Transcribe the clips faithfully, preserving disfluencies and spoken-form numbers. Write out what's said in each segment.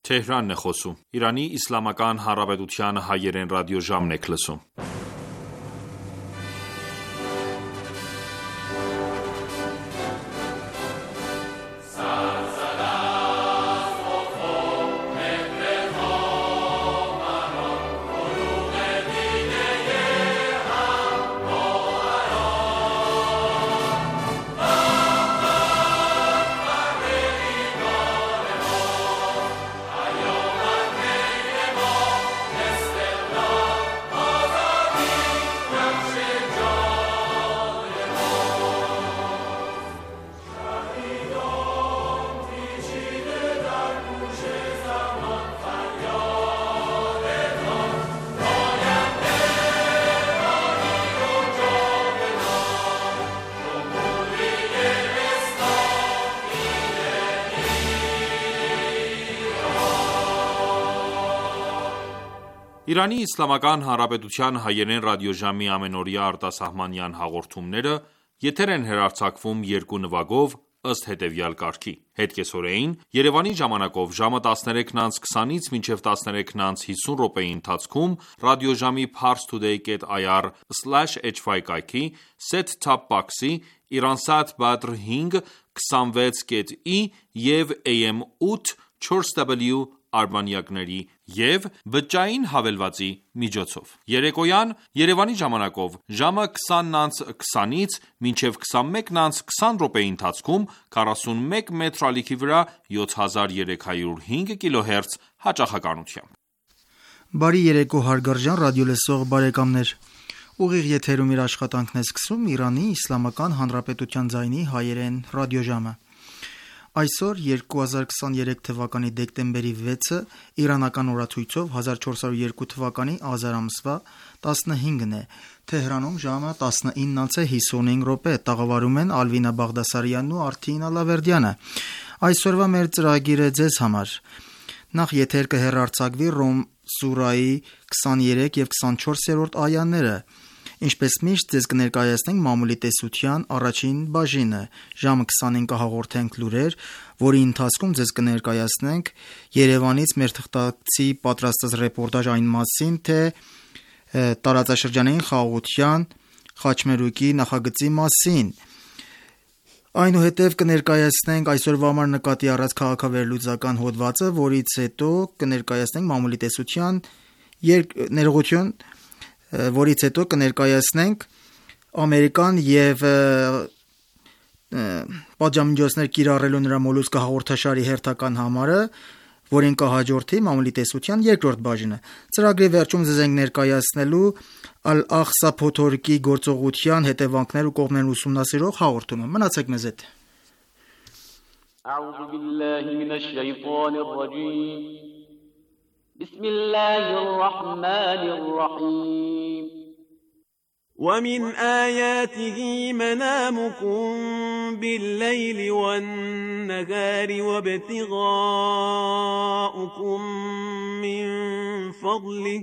Թեհրանն է խոսում։ Իրանի Իսլամական Հանրապետության հայերեն ռադիոժամն եք լսում։ Իրանի Իսլամական Հանրապետության հայերեն ռադիոժամի ամենօրյա արտասահմանյան հաղորդումները եթեր են հեռարձակվում երկու նվագով ըստ հետևյալ կարգի: Հետկեսօրեին Երևանի ժամանակով ժամը տասներեքն անց քսանից մինչև տասներեքն անց հիսուն րոպեի ընթացքում ռադիոժամի parstoday dot i r slash h y կայքի set-top box-ի Iransat Badr հինգ քսանվեց կետ ի և A M ութ չորս W արբանյակների և բջջային հավելվածի միջոցով: Երեկոյան Երևանի ժամանակով ժամը քսանն անց քսանից մինչև քսանմեկն անց քսան րոպեի ընթացքում քառասունմեկ մետր ալիքի վրա յոթ հազար երեք հարյուր հինգ կիլոհերց հաճախականությամբ: Բարի երեկո հարգարժան ռադիոլսող բարեկամներ: Ուղիղ եթերում իր աշխատանքն է սկսում Իրանի Իսլամական Հանրապետության ձայնի հայերեն ռադիոժամը: Այսօր երկու հազար քսաներեք թվականի դեկտեմբերի վեցը իրանական օրացույցով հազար չորս հարյուր երկու թվականի ազար ամսվա տասնհինգն է: Թեհրանում ժամը տասնինն անց հիսունհինգ րոպե: Տաղավարում են Ալվինա Բաղդասարյանն ու Արթին Ալավերդյանը: Այսօրվա մեր ծրագիրը ձեզ համար: Նախ եթեր կհեռարձակվի Ռոմ սուրահի քսաներեք և քսանչորսերորդ այաները: Ինչպես միշտ ձեզ կներկայացնենք մամուլի տեսության առաջին բաժինը: Ժամը քսանին կհաղորդենք լուրեր, որի ընթացքում ձեզ կներկայացնենք Երևանից մեր թղթակցի պատրաստած ռեպորտաժ այն մասին, թե տարածաշրջանային խաղաղության խաչմերուկի նախագծի մասին: Այնուհետև կներկայացնենք այսօրվա համար նկատի առած քաղաքավերլուծական հոդվածը, որից հետո կներկայացնենք մամուլի տեսության ներողություն, որից հետո կներկայացնենք Ամերիկան և պատժամիջոցներ կիրառելու նրա մոլուցքը հաղորդաշարի հերթական համարը, որին կհաջորդի մամուլի տեսության երկրորդ բաժինը: Ծրագրի վերջում ձեզ ենք ներկայացնելու Ալ-Աղսա փոթորիկի գործողության հետևանքներն ու կողմներն ուսումնասիրող հաղորդումը: Մնացեք մեզ հետ: أعوذ بالله من الشيطان الرجيم بسم الله الرحمن الرحيم ومن آياته منامكم بالليل والنهار وابتغاؤكم من فضله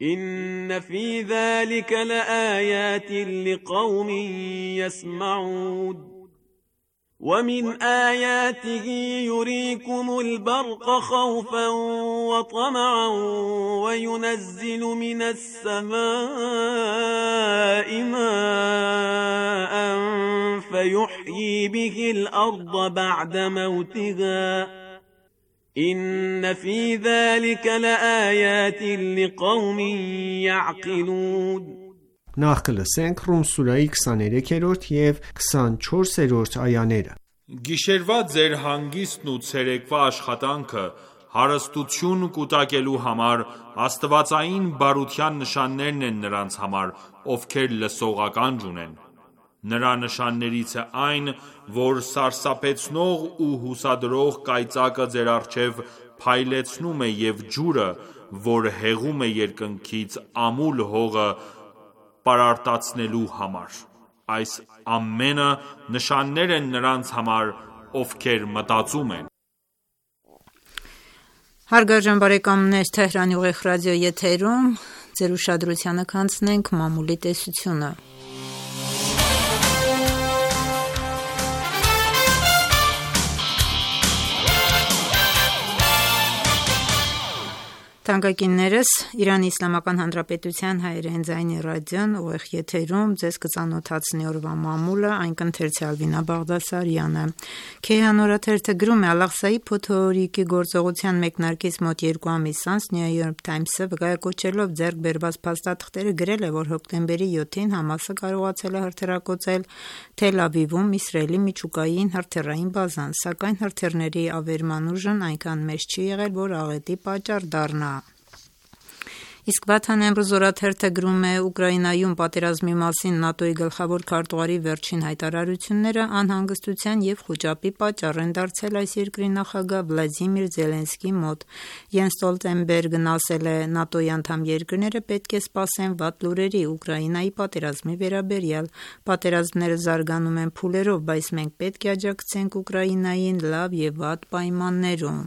إن في ذلك لآيات لقوم يسمعون ومن آياته يريكم البرق خوفا وطمعا وينزل من السماء ماء فيحيي به الأرض بعد موتها إن في ذلك لآيات لقوم يعقلون Նախ կլսենք Ռում սուրահի քսաներեքերորդ և քսանչորսերորդ այաները: Գիշերվա ձեր հանգիստն ու ցերեկվա աշխատանքը հարստություն կուտակելու համար աստվածային բարության նշաններն են նրանց համար, ովքեր լսողական ունեն: Նրա նշաններից է այն, որ սարսափեցնող ու հուսադրող կայծակը ձեր առջև փայլեցնում է և ջուրը, որ հեղում է երկնքից ամուլ հողը պարարտացնելու համար: Այս ամենը նշաններ են նրանց համար, ովքեր մտածում են: Հարգարժան բարեկամներ, Թեհրանի ուղիղ ռադիո եթերում ձեր ուշադրությանը կանցնենք մամուլի տեսությունը: Թանկագիններս, Իրանի Իսլամական Հանրապետության հայերեն ձայնի ռադիոն ուղիղ եթերում ձեզ կծանոթացնի օրվա մամուլը, այն կընթերցի Ալվինա Բաղդասարյանը։ Քեհան օրաթերթը գրում է Ալ-Աղսայի փոթորիկի գործողության մեկնարկից մոտ երկու ամիս անց New York Times-ը վկայակոչելով ձեռք բերված փաստաթղթերը գրել է, որ հոկտեմբերի յոթին Համասը կարողացել է հրթիռակոծել Թել Ավիվում Իսրայելի միջուկային հրթիռային բազան, սակայն հրթիռների ավերման ուժն այնքան մեծ չի եղել, որ աղետի պատճառ դառնա։ Իսկ Վաթան Էմրուզ օրաթերթը գրում է Ուկրաինայում պատերազմի մասին ՆԱՏՕ-ի գլխավոր քարտուղարի վերջին հայտարարությունները անհանգստության և խուճապի պատճառ են դարձել այս երկրի նախագահ Վլադիմիր Զելենսկիի մոտ։ Յենս Ստոլտենբերգն ասել է. ՆԱՏՕ-ի անդամ երկրները պետք է սպասեն վատ լուրերի Ուկրաինայի պատերազմի վերաբերյալ։ Պատերազմները զարգանում են փուլերով, բայց մենք պետք է աջակցենք Ուկրաինային լավ և վատ պայմաններում։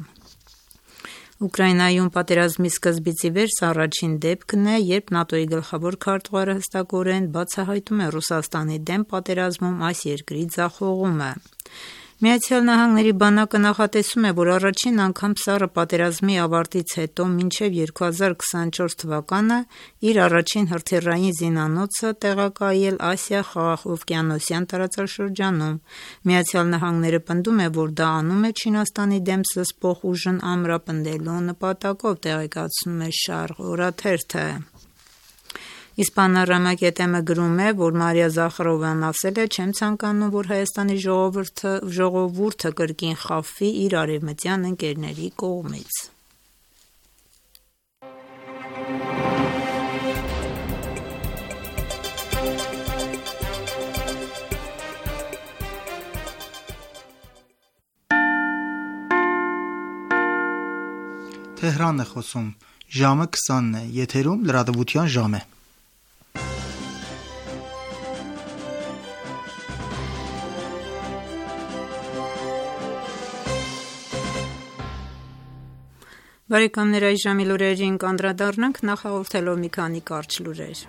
Ուկրաինայում պատերազմի սկզբից ի վեր սա առաջին դեպքն է, երբ ՆԱՏՕ-ի գլխավոր քարտուղարը հստակորեն բացահայտում է Ռուսաստանի դեմ պատերազմում այս երկրի ձախողումը։ Միացյալ Նահանգների բանակը նախատեսում է, որ առաջին անգամ սառը պատերազմի ավարտից հետո մինչև երկու հազար քսանչորս թվականը իր առաջին հրթիռային զինանոցը տեղակայել Ասիա-Խաղաղօվկիանոսյան տարածաշրջանում։ Միացյալ Նահանգները պնդում է, որ դա անում է Չինաստանի դեմ զսպող ուժն ամրապնդելու նպատակով, տեղեկացնում է Շարղ օրաթերթը։ Իսպանարամակետեմը գրում է, որ Մարիա Զախարովան ասել է. «Չեմ ցանկանում, որ Հայաստանի ժողովուրդը, ժողովուրդը կրկին խաբվի իր արևմտյան ընկերների կողմից»։ Թեհրանն է խոսում, ժամը քսանն է, եթերում լրատվության ժամ է։ Բարեկամներ, այս ժամի լուրերին կանդրադառնանք, նախ հաղորդելով մի քանի կարճ լուրեր։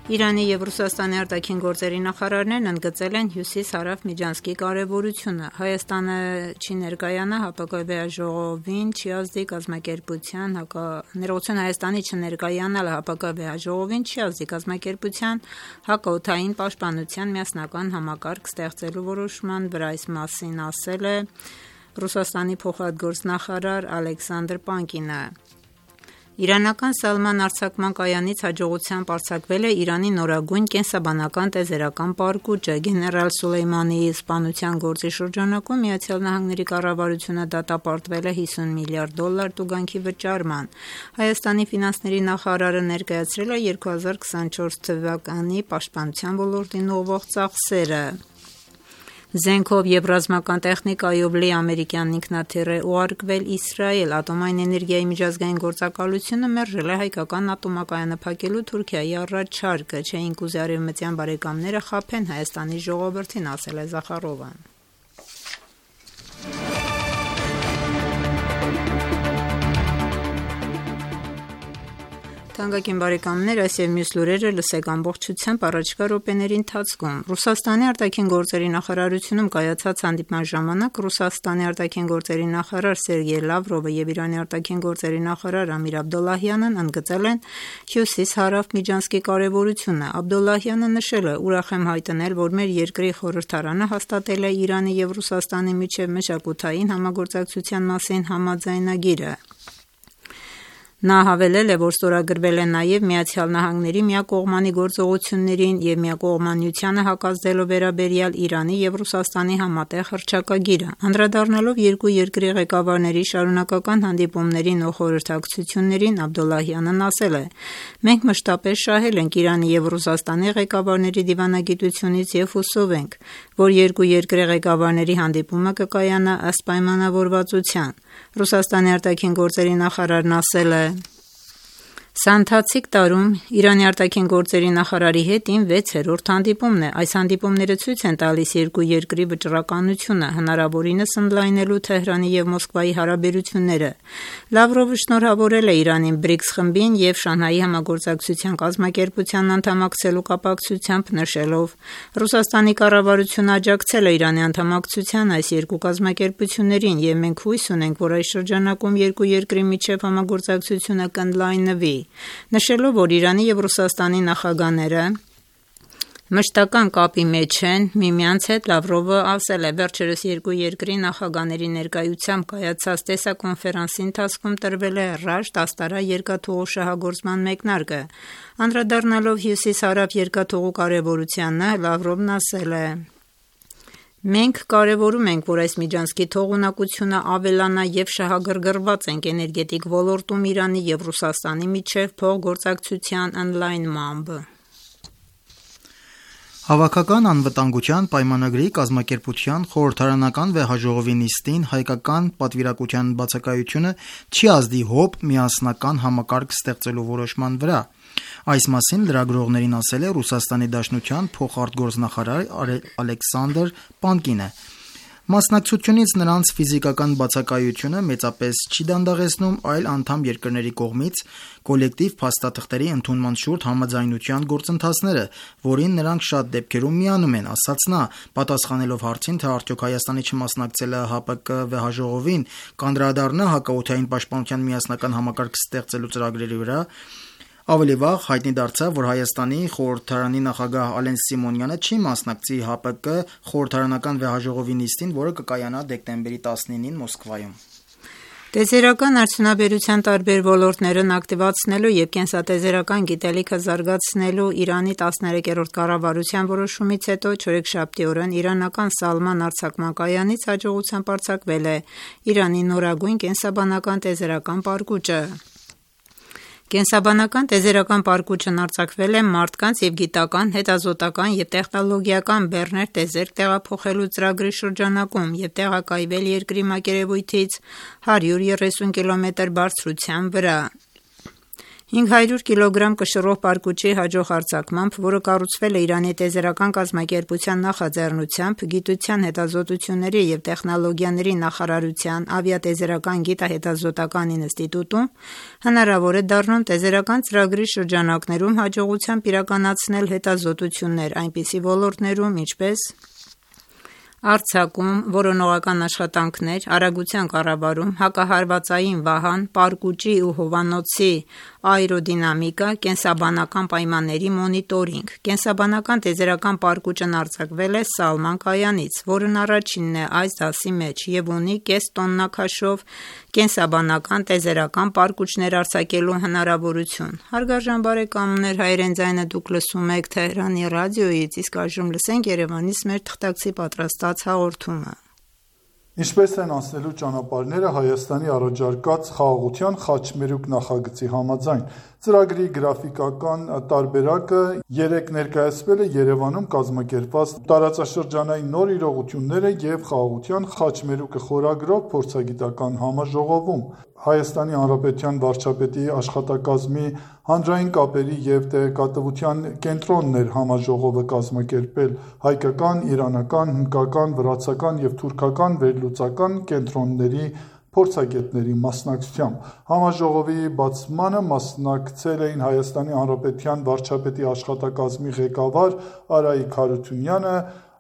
Իրանի և Ռուսաստանի արտաքին գործերի նախարարներն ընդգծել են Հյուսիս-Հարավ միջանցքի կարևորությունը։ Հայաստանը չի ներկայանա ՀԱՊԿ վեհաժողովին, չի ազդի կազմակերպության ներողություն Հայաստանի չներկայանալ ՀԱՊԿ վեհաժողովին, չի ազդի կազմակերպության հակաօդային պաշտպանության միասնական համակարգ ստեղծելու որոշման վրա, այս մասին ասել է Ռուսաստանի փոխարտգործնախարար Ալեքսանդր Պանկինը։ Իրանական Սալման արձակման կայանից հաջողությամբ արձակվել է Իրանի նորագույն կենսաբանական տեզերական պարկուճը։ Գեներալ Սուլեյմանիի սպանության գործի շրջանակում Միացյալ Նահանգների կառավարությունը դատապարտվել է հիսուն միլիարդ դոլար տուգանքի վճարման։ Հայաստանի ֆինանսների նախարարը ներկայացրել է երկու հազար քսանչորս թվականի պաշտպանության ոլորտին ուղղվող ծախսերը։ Զենքով և ռազմական տեխնիկայով լի ամերիկյան ինքնաթիռ է ուղարկվել Իսրայել։ Ատոմային էներգիայի միջազգային գործակալությունը մերժել է հայկական ատոմակայանը փակելու Թուրքիայի առաջարկը։ Չէինք ուզի արևմտյան բարեկամները խաբեն Հայաստանի ժողովրդին, ասել է Զախարովան։ Թանկագին բարեկամներ, այս և մյուս լուրերը լսեք ամբողջությամբ առաջիկա րոպեների ընթացքում։ Ռուսաստանի արտաքին գործերի նախարարությունում կայացած հանդիպման ժամանակ Ռուսաստանի արտաքին գործերի նախարար Սերգեյ Լավրովը և Իրանի արտաքին գործերի նախարար Ամիր Աբդոլլահյանն ընդգծել են Հյուսիս-Հարավ միջանցքի կարևորությունը։ Աբդոլլահյանը նշել է. «Ուրախ եմ հայտնել, որ մեր երկրի խորհրդարանը հաստատել է Իրանի և Ռուսաստանի միջև մշակութային համագործակցության մասին համաձայնագիրը»։ Նա հավելել է, որ ստորագրվել է նաև Միացյալ Նահանգների միակողմանի գործողություններին և միակողմանիությանը հակազդելու վերաբերյալ Իրանի և Ռուսաստանի համատեղ հռչակագիրը։ Անդրադառնալով երկու երկրի ղեկավարների շարունակական հանդիպումներին ու խորհրդակցություններին, Աբդոլլահյանն ասել է. «Մենք մշտապես շահել ենք Իրանի և Ռուսաստանի ղեկավարների դիվանագիտությունից և հուսով ենք, որ երկու երկրի ղեկավարների հանդիպումը կկայանա ըստ պայմանավորվածության»։ Ռուսաստանի արտաքին գործերի նախարարն ասել է. Սա ընթացիկ տարում Իրանի արտաքին գործերի նախարարի հետ իմ վեցերորդ հանդիպումն է։ Այս հանդիպումները ցույց են տալիս երկու երկրի վճռականությունը, հնարավորինս ընդլայնելու Թեհրանի և Մոսկվայի հարաբերությունները։ Լավրովը շնորհավորել է Իրանին բրիքս խմբին և Շանհայի համագործակցության կազմակերպության անդամակցելու կապակցությամբ, նշելով. «Ռուսաստանի կառավարությունը աջակցել է Իրանի անդամակցության այս երկու կազմակերպություններին, և մենք հույս ունենք, որ այս շրջանակում երկու երկրի միջև համագործակցությունը կընդլայնվի»։ Նշելով, որ Իրանի և Ռուսաստանի նախագահները մշտական կապի մեջ են միմյանց հետ, Լավրովը ասել է. «Վերջերս երկու երկրի նախագահների ներկայությամբ կայացած տեսակոնֆերանսի ընթացքում տրվել է Ռաշտ Աստարա երկաթուղու շահագործման մեկնարկը»։ Անդրադառնալով հյուսիս-հարավ երկաթուղու կարևորությանը, Լավրովն ասել է. «Մենք կարևորում ենք, որ այս միջանցքի թողունակությունը ավելանա և շահագրգռված ենք էներգետիկ ոլորտում Իրանի և Ռուսաստանի միջև փոխգործակցության ընդլայնմամբ»։ Հավաքական անվտանգության պայմանագրի կազմակերպության խորհրդարանական վեհաժողովի նիստին հայկական պատվիրակության բացակայությունը չի ազդի ՀՕՊ միասնական համակարգ ստեղծելու որոշման վրա։ Այս մասին լրագրողներին ասել է Ռուսաստանի Դաշնության փոխարտգործնախարար Ալեքսանդր Պանկինը։ Մասնակցությունից նրանց ֆիզիկական բացակայությունը մեծապես չի դանդաղեցնում, այլ անդամ երկրների կողմից կոլեկտիվ փաստաթղթերի ընդունման շուրջ համաձայնության գործընթացները, որին նրանք շատ դեպքերում միանում են, ասաց նա, պատասխանելով հարցին, թե արդյոք Հայաստանի չմասնակցելը ՀԱՊԿ վեհաժողովին կանդրադառնա հակաօդային պաշտպանության միասնական համակարգ ստեղծելու ծրագրերի վրա։ Ավելի վաղ հայտնի դարձավ, որ Հայաստանի խորհրդարանի նախագահ Ալեն Սիմոնյանը չի մասնակցի ՀԱՊԿ խորհրդարանական վեհաժողովի նիստին, որը կկայանա դեկտեմբերի տասնինին Մոսկվայում։ Տեսերական արդյունաբերության տարբեր ոլորտներն ակտիվացնելու և կենսատեզերական գիտելիքը զարգացնելու Իրանի տասներեքերորդ կառավարության որոշումից հետո չորեքշաբթի օրն իրանական Սալման արձակման կայանից հաջողությամբ արձակվել է Իրանի նորագույն կենսաբանական տեզերական պարկուճը։ Կենսաբանական տեզերական պարկուճն արձակվել է մարդկանց և գիտական, հետազոտական և տեխնոլոգիական բեռներ տեզերք տեղափոխելու ծրագրի շրջանակում և տեղակայվել երկրի մակերևույթից հարյուր երեսուն կիլոմետր բարձրության վրա։ հինգ հարյուր կիլոգրամ կշռող պարկուճի հաջող արձակմամբ, որը կառուցվել է Իրանի տեզերական կազմակերպության նախաձեռնությամբ, Գիտության, հետազոտությունների և տեխնոլոգիաների նախարարության ավիատեզերական գիտահետազոտական ինստիտուտում, հնարավոր է դառնում տեզերական ծրագրի շրջանակներում հաջողությամբ իրականացնել հետազոտություններ այնպիսի ոլորտներում, ինչպես արձակում, որոնողական աշխատանքներ, արագության կառավարում, հակահարվածային վահան, պարկուճի ու հովանոցի աերոդինամիկա, կենսաբանական պայմանների մոնիտորինգ։ Կենսաբանական տեզերական պարկուճն արձակվել է Սալման կայանից, որն առաջինն է այս դասի մեջ և ունի կես տոննա քաշով կենսաբանական տեզերական պարկուճներ արձակելու հնարավորություն։ Հարգարժան բարեկամներ, հայերեն ձայնը դուք լսում եք Թեհրանի ռադիոյից, իսկ այժմ լսենք Երևանից մեր թղթակցի պատրաստած հաղորդումը։ Ինչպես են անցնելու ճանապարհները Հայաստանի առաջարկած խաղաղության խաչմերուկ նախագծի համաձայն։ Ծրագրի գրաֆիկական տարբերակը երեկ ներկայացվել է Երևանում կազմակերպված տարածաշրջանային նոր իրողությունները և խաղաղության խաչմերուկը խորագրով փորձագիտական համաժողովում։ Հայաստանի Հանրապետության վարչապետի աշխատակազմի հանրային կապերի և տեղեկատվության կենտրոնն էր համաժողովը կազմակերպել հայկական, իրանական, հնդկական, վրացական և թուրքական վերլուծական կենտրոնների փորձագետների մասնակցությամբ։ Համաժողովի բացմանը մասնակցել էին Հայաստանի Հանրապետության վարչապետի աշխատակազմի ղեկավար Արայիկ Հարությունյանը,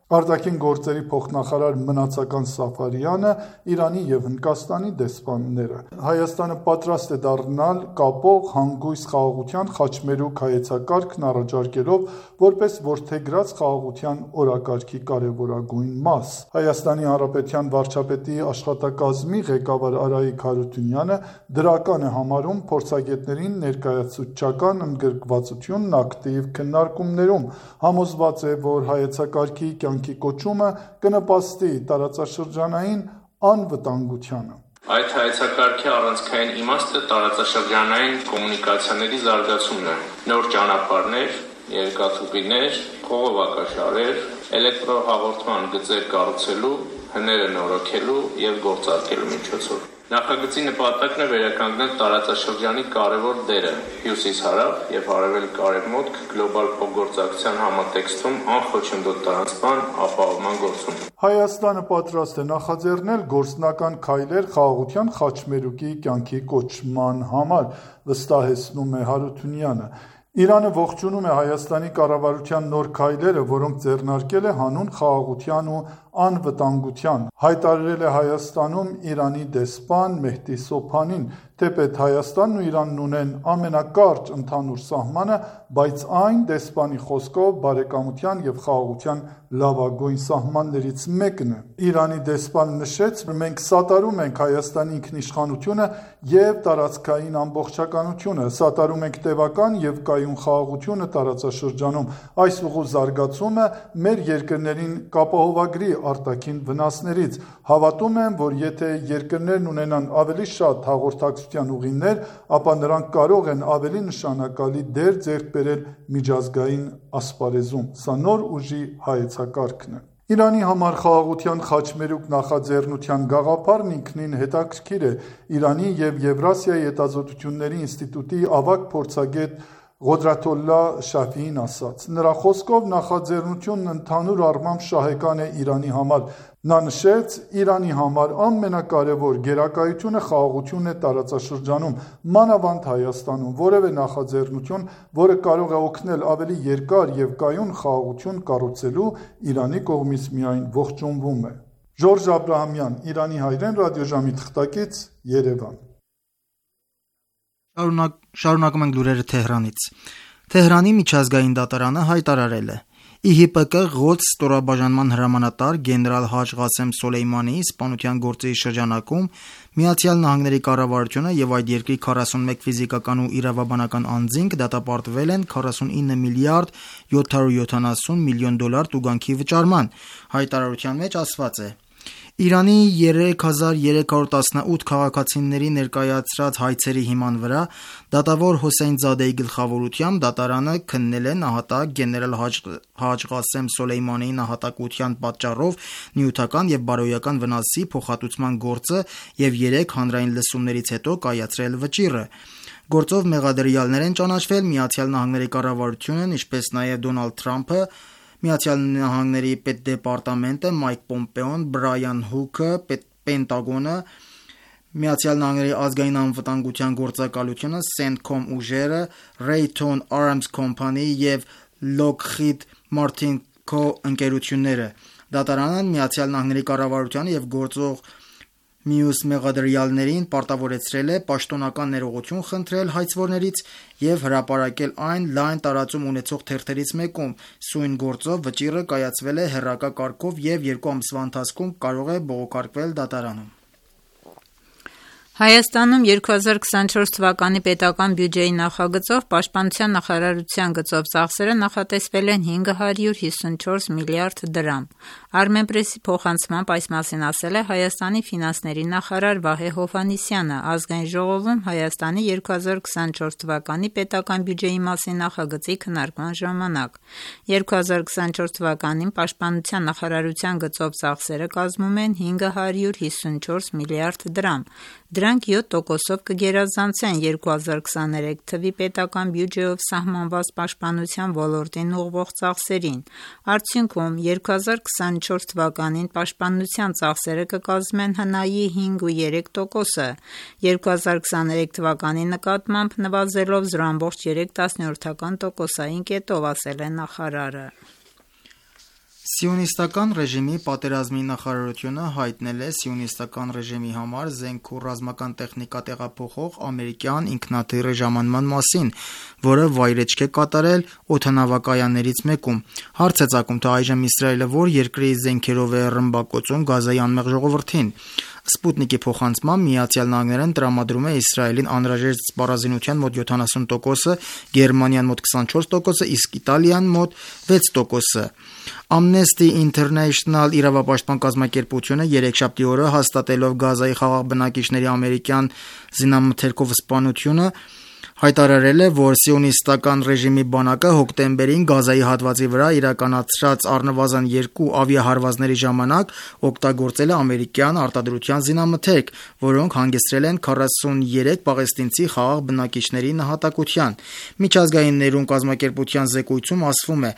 արտաքին գործերի փոխնախարար Մնացական Սաֆարյանը, Իրանի և Հնդկաստանի դեսպանները։ Հայաստանը պատրաստ է դառնալ կապող հանգույց խաղաղության խաչմերուկ հայեցակարգն առաջարկելով որպես որդեգրած խաղաղության օրակարգի կարևորագույն մաս։ Հայաստանի Հանրապետության վարչապետի աշխատակազմի ղեկավար Արայիկ Հարությունյանը դրական է համարում փորձագետներին ներկայացուցչական ընդգրկվածությունն ակտիվ քննարկումներում, համոզված է, որ հայեցակարգի կյանքի կոչումը կնպաստի տարածաշրջանային անվտանգությանը։ Այդ հայեցակարգի առանցքային իմաստը տարածաշրջանային կոմունիկացիաների զարգացումն է։ Նոր ճանապարհներ, երկաթուղիներ, խողովակաշարեր, էլեկտրոհաղորդման գծեր կառուցելու, հները նորոգելու և գործարկելու միջոցով։ Նախագծի նպատակն է վերականգնել տարածաշրջանի կարևոր դերը հյուսիս-հարավ եւ արևելք-արևմուտք գլոբալ փոխգործակցության համատեքստում անխոչնդոտ տարածման ապահովման գործում։ Հայաստանը պատրաստ է նախաձեռնել գործնական քայլեր խաղաղության խաչմերուկի կյանքի կոչման համար, վստահեցնում է Հարությունյանը։ Իրանը ողջունում է Հայաստանի կառավարության նոր քայլերը, որոնք ձեռնարկել է հանուն խաղաղության ու անվտանգության, հայտարարել է Հայաստանում Իրանի դեսպան Մեհդի Սոփանին, թեպետ Հայաստանն ու Իրանն ունեն ամենակարճ ընդհանուր սահմանը, բայց այն դեսպանի խոսքով բարեկամության եւ խաղաղության լավագույն սահմաններից մեկն է։ Իրանի դեսպանը նշեց, որ մենք սատարում ենք Հայաստանի ինքնիշխանությունը եւ տարածքային ամբողջականությունը, սատարում ենք տևական եւ կայուն խաղաղությունը տարածաշրջանում։ Այս ուղու զարգացումը մեր երկրներին կապահովագրի արտաքին վնասներից։ Հավատում եմ, որ եթե երկրներն ունենան ավելի շատ հաղորդակցության ուղիներ, ապա նրանք կարող են ավելի նշանակալի դեր ձեռք բերել միջազգային ասպարեզում։ Սա նոր ուժի հայեցակարգն է։ Իրանի համար խաղաղության խաչմերուկ նախաձեռնության գաղափարն ինքնին հետաքրքիր է։ Իրանի եւ Եվրասիայի հետազոտությունների ինստիտուտի ավագ փորձագետ Ղոդրաթոլլա Շաֆիին ասաց. նրա խոսքով նախաձեռնությունն ընդհանուր առմամբ շահեկան է Իրանի համար։ Նա նշեց, Իրանի համար ամենակարևոր գերակայությունը խաղաղությունն է տարածաշրջանում, մանավանդ Հայաստանում, որևէ նախաձեռնություն, որը կարող է օգնել ավելի երկար եւ կայուն խաղաղություն կառուցելու, Իրանի կողմից միայն ողջունվում է։ Ժորժ Աբրահամյան, Իրանի հայրեն ռադիոժամի թղթակից, Երևան։ Շարունակ, շարունակում ենք լուրերը Թեհրանից։ Թեհրանի միջազգային դատարանը հայտարարել է. ի հի պե կը Ղոդս ստորաբաժանման հրամանատար գեներալ Հաջ Ղասեմ Սոլեյմանիի սպանության գործի շրջանակում Միացյալ Նահանգների կառավարությունը եւ այդ երկրի քառասունմեկ ֆիզիկական ու իրավաբանական անձինք դատապարտվել են քառասունինը միլիարդ յոթ հարյուր յոթանասուն միլիոն դոլար տուգանքի վճարման։ Հայտարարության մեջ ասված է. Իրանի երեք հազար երեք հարյուր տասնութ քաղաքացիների ներկայացրած հայցերի հիման վրա դատավոր Հոսեյն Զադեի գլխավորությամբ դատարանը քննել է նահատակ գեներալ Հաջ Ղասեմ Սոլեյմանիի նահատակության պատճառով նյութական եւ բարոյական վնասի փոխհատուցման գործը եւ երեք հանրային լսումներից հետո կայացրել վճիռը։ Գործով մեղադրյալներ են ճանաչվել Միացյալ Նահանգների կառավարությունն, ինչպես նաեւ Դոնալդ Թրամփը, Միացյալ Նահանգների պետդեպարտամենտը, Մայք Պոմպեոն, Բրայան Հուքը, Պենտագոնը, Միացյալ Նահանգների ազգային անվտանգության գործակալությունը, Սենտկոմ ուժերը, Raytheon Arms Company եւ Lockheed Martin Co ընկերությունները։ Դատարանը Միացյալ Նահանգների կառավարությանը եւ գործող մյուս մեղադրյալներին պարտավորեցրել է պաշտոնական ներողություն խնդրել հայցվորներից եւ հրապարակել այն լայն տարածում ունեցող թերթերից մեկում։ Սույն գործով վճիռը կայացվել է հեռակա կարգով եւ երկու ամսվա ընթացքում կարող է բողոքարկվել դատարանում։ Հայաստանում երկու հազար քսանչորս թվականի պետական բյուջեի նախագծով Պաշտպանության նախարարության գծով ծախսերը նախատեսվել են հինգ հարյուր հիսունչորս միլիարդ դրամ։ Armenpress-ի փոխանցմամբ այս մասին ասել է Հայաստանի ֆինանսների նախարար Վահե Հովհաննիսյանը ազգային ժողովում Հայաստանի երկու հազար քսանչորս թվականի պետական բյուջեի մասին նախագծի քննարկման ժամանակ։ երկու հազար քսանչորս թվականին Պաշտպանության նախարարության գծով ծախսերը կազմում են հինգ հարյուր հիսունչորս միլիարդ դրամ։ Դրանք յոթ տոկոսով կգերազանցեն երկու հազար քսաներեք թվականի պետական բյուջեով սահմանված պաշտպանության ոլորտին ուղղվող ծախսերին։ Արդյունքում երկու հազար քսանչորս թվականին պաշտպանության ծախսերը կկազմեն հնայի հինգ ու երեք տոկոսը, երկու հազար քսաներեք թվականի նկատմամբ նվազելով զրո ամբողջ երեք տասնորդական տոկոսային կետով, ասել է նախարարը։ Սիոնիստական ռեժիմի պատերազմի նախարարությունը հայտնել է սիոնիստական ռեժիմի համար զենք ու ռազմական տեխնիկա տեղափոխող ամերիկյան ինքնաթիռի ժամանման մասին, որը վայրեջք է կատարել օդանավակայաններից մեկում։ Հարց է ծագում, թե այժմ Իսրայելը որ երկրի զենքերով է ռմբակոծում Գազայի անմեղ ժողովրդին։ Սպուտնիկի փոխանցմամբ Միացյալ Նահանգներն տրամադրում է Իսրայելին անհրաժեշտ սպառազինության մոտ յոթանասուն տոկոսը, Գերմանիան մոտ քսանչորս տոկոսը, իսկ Իտալիան մոտ վեց տոկոսը։ Amnesty International իրավապաշտպան կազմակերպությունը երեքշաբթի օրը հաստատելով Գազայի խաղաղ բնակիչների ամերիկյան զինամթերքով սպանությունը հայտարարել է, որ սիոնիստական ռեժիմի բանակը հոկտեմբերին Գազայի հատվածի վրա իրականացրած առնվազն երկու ավիահարվածների ժամանակ օգտագործել է ամերիկյան արտադրության զինամթերք, որոնք հանգեցրել են քառասուներեք պաղեստինցի խաղաղ բնակիչների նահատակության։ Միջազգային ներում կազմակերպության զեկույցում ասվում է.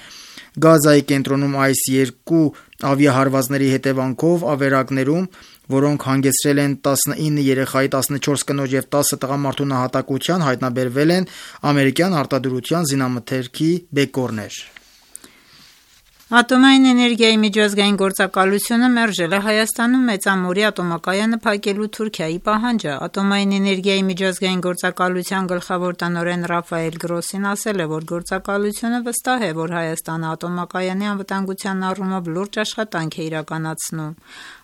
Գազայի կենտրոնում այս երկու ավիահարվածների հետևանքով ավերակներում, որոնք հանգեցրել են տասնինը երեխայի, տասնչորս կնոջ և տասը տղամարդու նահատակության, հայտնաբերվել են ամերիկյան արտադրության զինամթերքի բեկորներ։ Ատոմային էներգիայի միջազգային գործակալությունը մերժել է Հայաստանում մեծամորի ատոմակայանը փակելու Թուրքիայի պահանջը։ Ատոմային էներգիայի միջազգային գործակալության գլխավոր տնօրեն Ռաֆայել Գրոսին ասել է, որ գործակալությունը վստահ է, որ Հայաստանը ատոմակայանի անվտանգության առումով լուրջ աշխատանք է իրականացնում։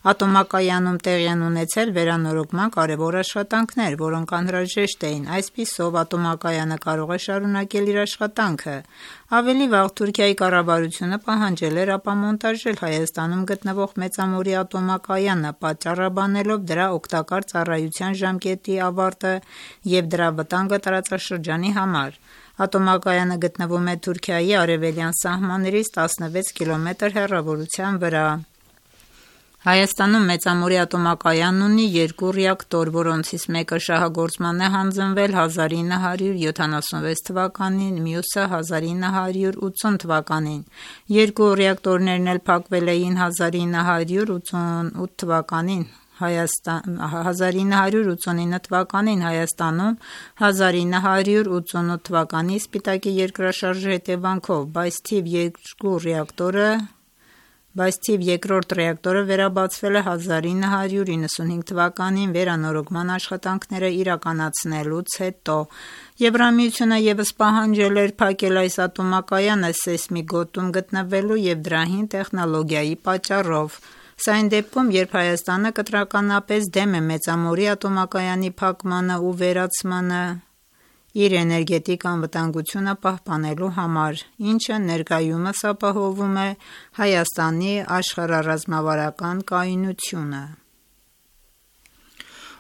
Ատոմակայանում տեղի են ունեցել վերանորոգման կարևոր աշխատանքներ, որոնք անհրաժեշտ էին։ Այսպիսով ատոմակայանը կարող է շարունակել իր աշխատանքը։ Ավելի վաղ Թուրքիայի կառավարությունը պահանջել էր ապամոնտաժել Հայաստանում գտնվող մեծամորի ատոմակայանը, պատճառաբանելով դրա օգտակար ծառայության ժամկետի ավարտը և դրա վտանգը տարածաշրջանի համար։ Ատոմակայանը գտնվում է Թուրքիայի արևելյան սահմաններից տասնվեց կիլոմետր հեռավորության վրա։ Հայաստանում մեծամորի ատոմակայանն ունի երկու ռեակտոր, որոնցից մեկը շահագործման է հանձնվել հազար ինը հարյուր յոթանասունվեց թվականին, մյուսը հազար ինը հարյուր ութսուն թվականին։ Երկու ռեակտորներն էլ փակվել էին հազար ինը հարյուր ութսունութ թվականին։ հազար ինը հարյուր ութսունինը թվականին Հայաստանում, հազար ինը հարյուր ութսունութ թվականի Սպիտակի երկրաշարժի հետևանքով, բայց թիվ երկու ռեակտորը Բայց թիվ երկրորդ ռեակտորը վերաբացվել է հազար ինը հարյուր իննսունհինգ թվականին վերանորոգման աշխատանքները իրականացնելուց հետո։ Եվրամիությունը ևս պահանջել էր փակել այս ատոմակայանը սեյսմիկ գոտում գտնվելու և դրա հին տեխնոլոգիայի պատճառով։ Սա այն դեպքում, երբ Հայաստանը կտրականապես դեմ է մեծամորի ատոմակայանի փակմանը ու վերացմանը իր էներգետիկ անվտանգությունը պահպանելու համար, ինչը ներկայումս ապահովում է Հայաստանի աշխարհառազմավարական կայունությունը։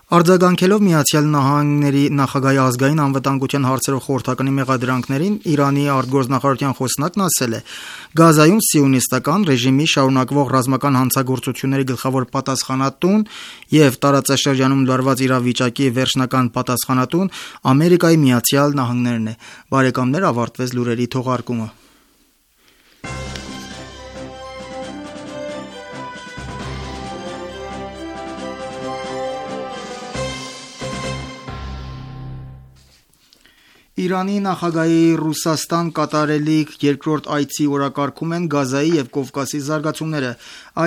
Արձագանքելով Միացյալ Նահանգների նախագահի ազգային անվտանգության հարցերով խորհրդականի մեղադրանքներին, Իրանի արտգործնախարարության խոսնակն ասել է. Գազայում սիոնիստական ռեժիմի շարունակվող ռազմական հանցագործությունների գլխավոր պատասխանատուն և տարածաշրջանում լարված իրավիճակի վերջնական պատասխանատուն Ամերիկայի Միացյալ Նահանգներն է։ Բարեկամներ, ավարտվեց լուրերի թողարկումը։ Իրանի նախագահի Ռուսաստան կատարելիք երկրորդ այցի օրակարգում են Գազայի և Կովկասի զարգացումները։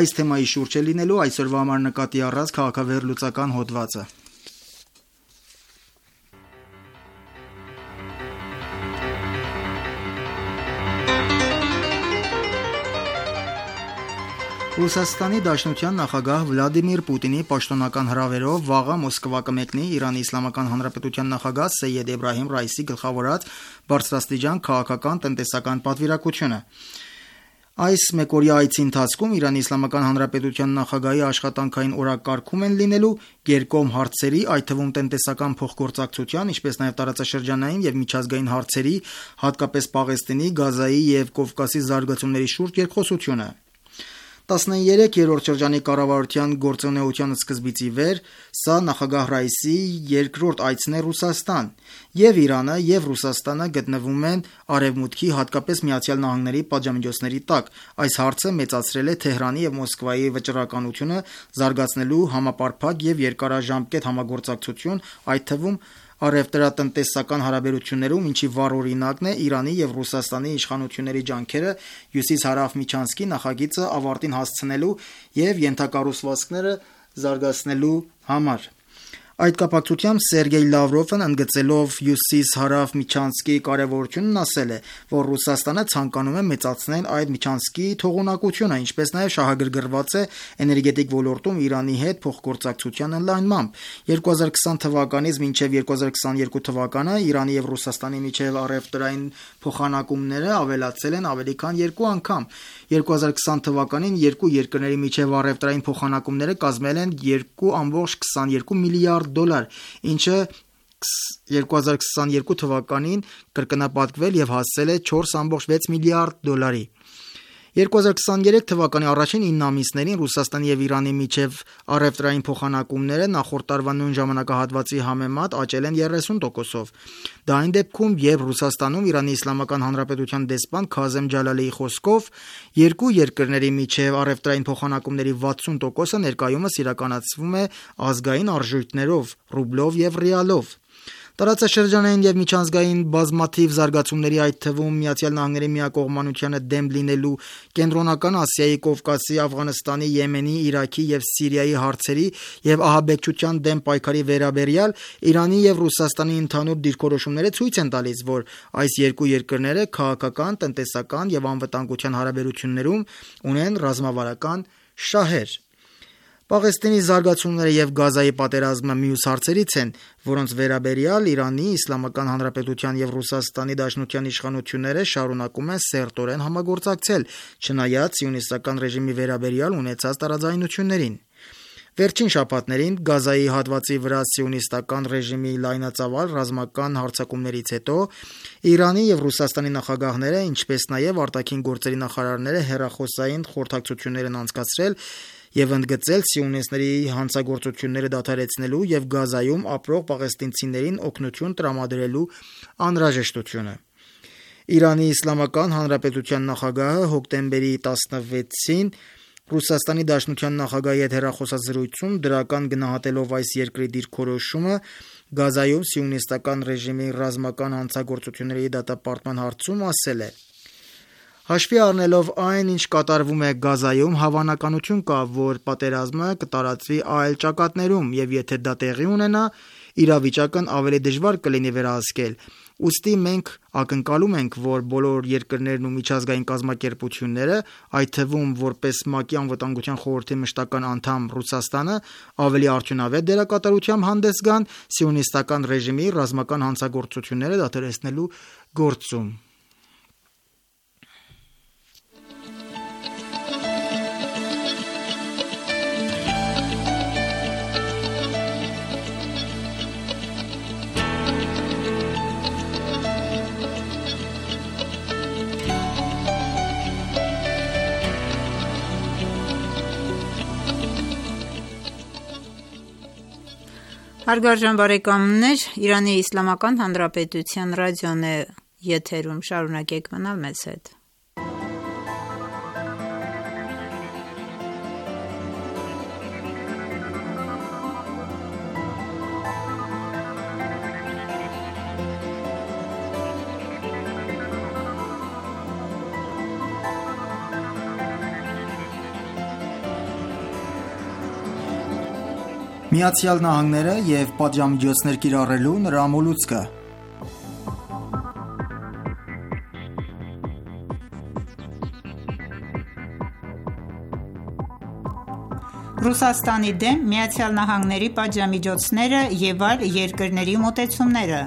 Այս թեմայի շուրջ է լինելու այսօրվա համար նկատի առած քաղաքավեհեռլուծական հոդվածը։ Ռուսաստանի Դաշնության նախագահ Վլադիմիր Պուտինի պաշտոնական հրավերով վաղը Մոսկվա կմեկնի Իրանի Իսլամական Հանրապետության նախագահ Սեյեդ Էբրահիմ Ռայիսի գլխավորած բարձրաստիճան քաղաքական տնտեսական պատվիրակությունը։ Այս մեկօրյա այցի ընթացքում Իրանի Իսլամական Հանրապետության նախագահի աշխատանքային օրակարգում են լինելու երկկողմ հարցերի, այդ թվում տնտեսական փոխգործակցության, ինչպես նաև տարածաշրջանային և միջազգային հարցերի, հատկապես Պաղեստինի, Գազայի և Կովկասի զարգացումների շուրջ երկխոսությունը։ տասներեք-րդ շրջանի կառավարության գործունեության սկզբից ի վեր սա նախագահ Ռայիսի երկրորդ այցն է Ռուսաստան, և Իրանը և Ռուսաստանը գտնվում են Արևմուտքի, հատկապես Միացյալ Նահանգների պատժամիջոցների տակ։ Այս հարցը մեծացրել է Թեհրանի և Մոսկվայի վճռականությունը զարգացնելու համապարփակ և երկարաժամկետ համագործակցություն, այդ թվում առևտրատնտեսական հարաբերություններում, ինչի վառ օրինակն է Իրանի և Ռուսաստանի իշխանությունների ջանքերը հյուսիս-հարավ միջանցքի նախագիծը ավարտին հասցնելու և ենթակառուցվածքները զարգացնելու համար։ Այդ կապակցությամբ Սերգեյ Լավրովն ընդգծելով հյուսիս-հարավ միջանցքի կարևորությունն ասել է, որ Ռուսաստանը ցանկանում է մեծացնել այդ միջանցքի թողունակությունը, ինչպես նաև շահագրգռված է էներգետիկ ոլորտում Իրանի հետ փոխգործակցության ընդլայնմամբ։ երկու հազար քսան թվականից մինչև երկու հազար քսաներկու թվականը Իրանի և Ռուսաստանի միջև առևտրային փոխանակումները ավելացել են ավելի քան երկու անգամ։ երկու հազար քսան թվականին երկու երկրների միջև առևտրային փոխանակումները կազմել են երկու կόμma քսաներկու միլիարդ դոլար, ինչը երկու հազար քսաներկու թվականին կրկնապատկվել եւ հասել է չորս կόμma վեց միլիարդ դոլարի։ երկու հազար քսաներեք թվականի առաջին ինը ամիսներին Ռուսաստանի եւ Իրանի միջև առևտրային փոխանակումները նախորդ տարվա նույն ժամանակահատվածի համեմատ աճել են երեսուն տոկոսով։ Դա այն դեպքում, երբ Ռուսաստանում Իրանի Իսլամական Հանրապետության դեսպան Քազեմ Ջալալիի խոսքով երկու երկրների միջև առևտրային փոխանակումների վաթսուն տոկոսը ներկայումս իրականացվում է ազգային արժույթներով՝ ռուբլով եւ ռիալով։ Տարածաշրջանային եւ միջանցգային բազմաթիվ զարգացումների, այդ թվում Միացյալ Նահանգների միակողմանությանը դեմ լինելու, Կենտրոնական Ասիայի, Կովկասի, Աֆղանստանի, Եմենի, Իրաքի եւ Սիրիայի հարցերի եւ ահաբեկչության դեմ պայքարի վերաբերյալ Իրանի եւ Ռուսաստանի ընդհանուր դիրքորոշումները ցույց են տալիս, որ այս երկու երկրները քաղաքական, տնտեսական եւ անվտանգության հարաբերություններում ունեն ռազմավարական շահեր։ Պաղեստինի զարգացումները եւ Գազայի պատերազմը մյուս հարցերից են, որոնց վերաբերյալ Իրանի Իսլամական Հանրապետության եւ Ռուսաստանի Դաշնության իշխանությունները շարունակում են սերտորեն համագործակցել, չնայած սիոնիստական ռեժիմի վերաբերյալ ունեցած տարաձայնություններին։ Վերջին շաբաթներին Գազայի հատվածի վրա սիոնիստական ռեժիմի լայնածավալ ռազմական հարձակումներից հետո Իրանի եւ Ռուսաստանի նախագահները, ինչպես նաեւ արտաքին գործերի նախարարները հեռախոսային խորհրդակցություններ են անցկացրել եւ ընդգծել սիոնիստների հանցագործությունները դադարեցնելու եւ Գազայում ապրող պաղեստինցիներին օգնություն տրամադրելու անհրաժեշտությունը։ Իրանի Իսլամական Հանրապետության նախագահը հոկտեմբերի տասնվեցին Ռուսաստանի Դաշնության նախագահի հետ հեռախոսազրույցում դրական գնահատելով այս երկրի դիրքորոշումը Գազայում սիոնիստական ռեժիմի ռազմական հանցագործությունների դատապարտման հարցում ասել է. Հաշվի առնելով այն, ինչ կատարվում է Գազայում, հավանականություն կա, որ պատերազմը կտարածվի այլ ճակատներում եւ եթե դա տեղի ունենա, իրավիճակն ավելի դժվար կլինի վերահսկել։ Ուստի մենք ակնկալում ենք, որ բոլոր երկրներն ու միջազգային կազմակերպությունները, այդ թվում որպես ՄԱԿ-ի անվտանգության խորհրդի մշտական անդամ Ռուսաստանը, ավելի արդյունավետ դերակատարությամբ հանդես գան սիոնիստական ռեժիմի ռազմական հանցագործությունները դադարեցնելու գործում։ Հարգարժան բարեկամներ, Իրանի Իսլամական Հանրապետության ռադիոն է եթերում, շարունակեք մնալ մեզ հետ։ Միացյալ Նահանգները եւ պատժամիջոցներ կիրառելու նրա մոլուցքը։ Ռուսաստանի դեմ Միացյալ Նահանգների պատժամիջոցները եւ այլ երկրների մոտեցումները։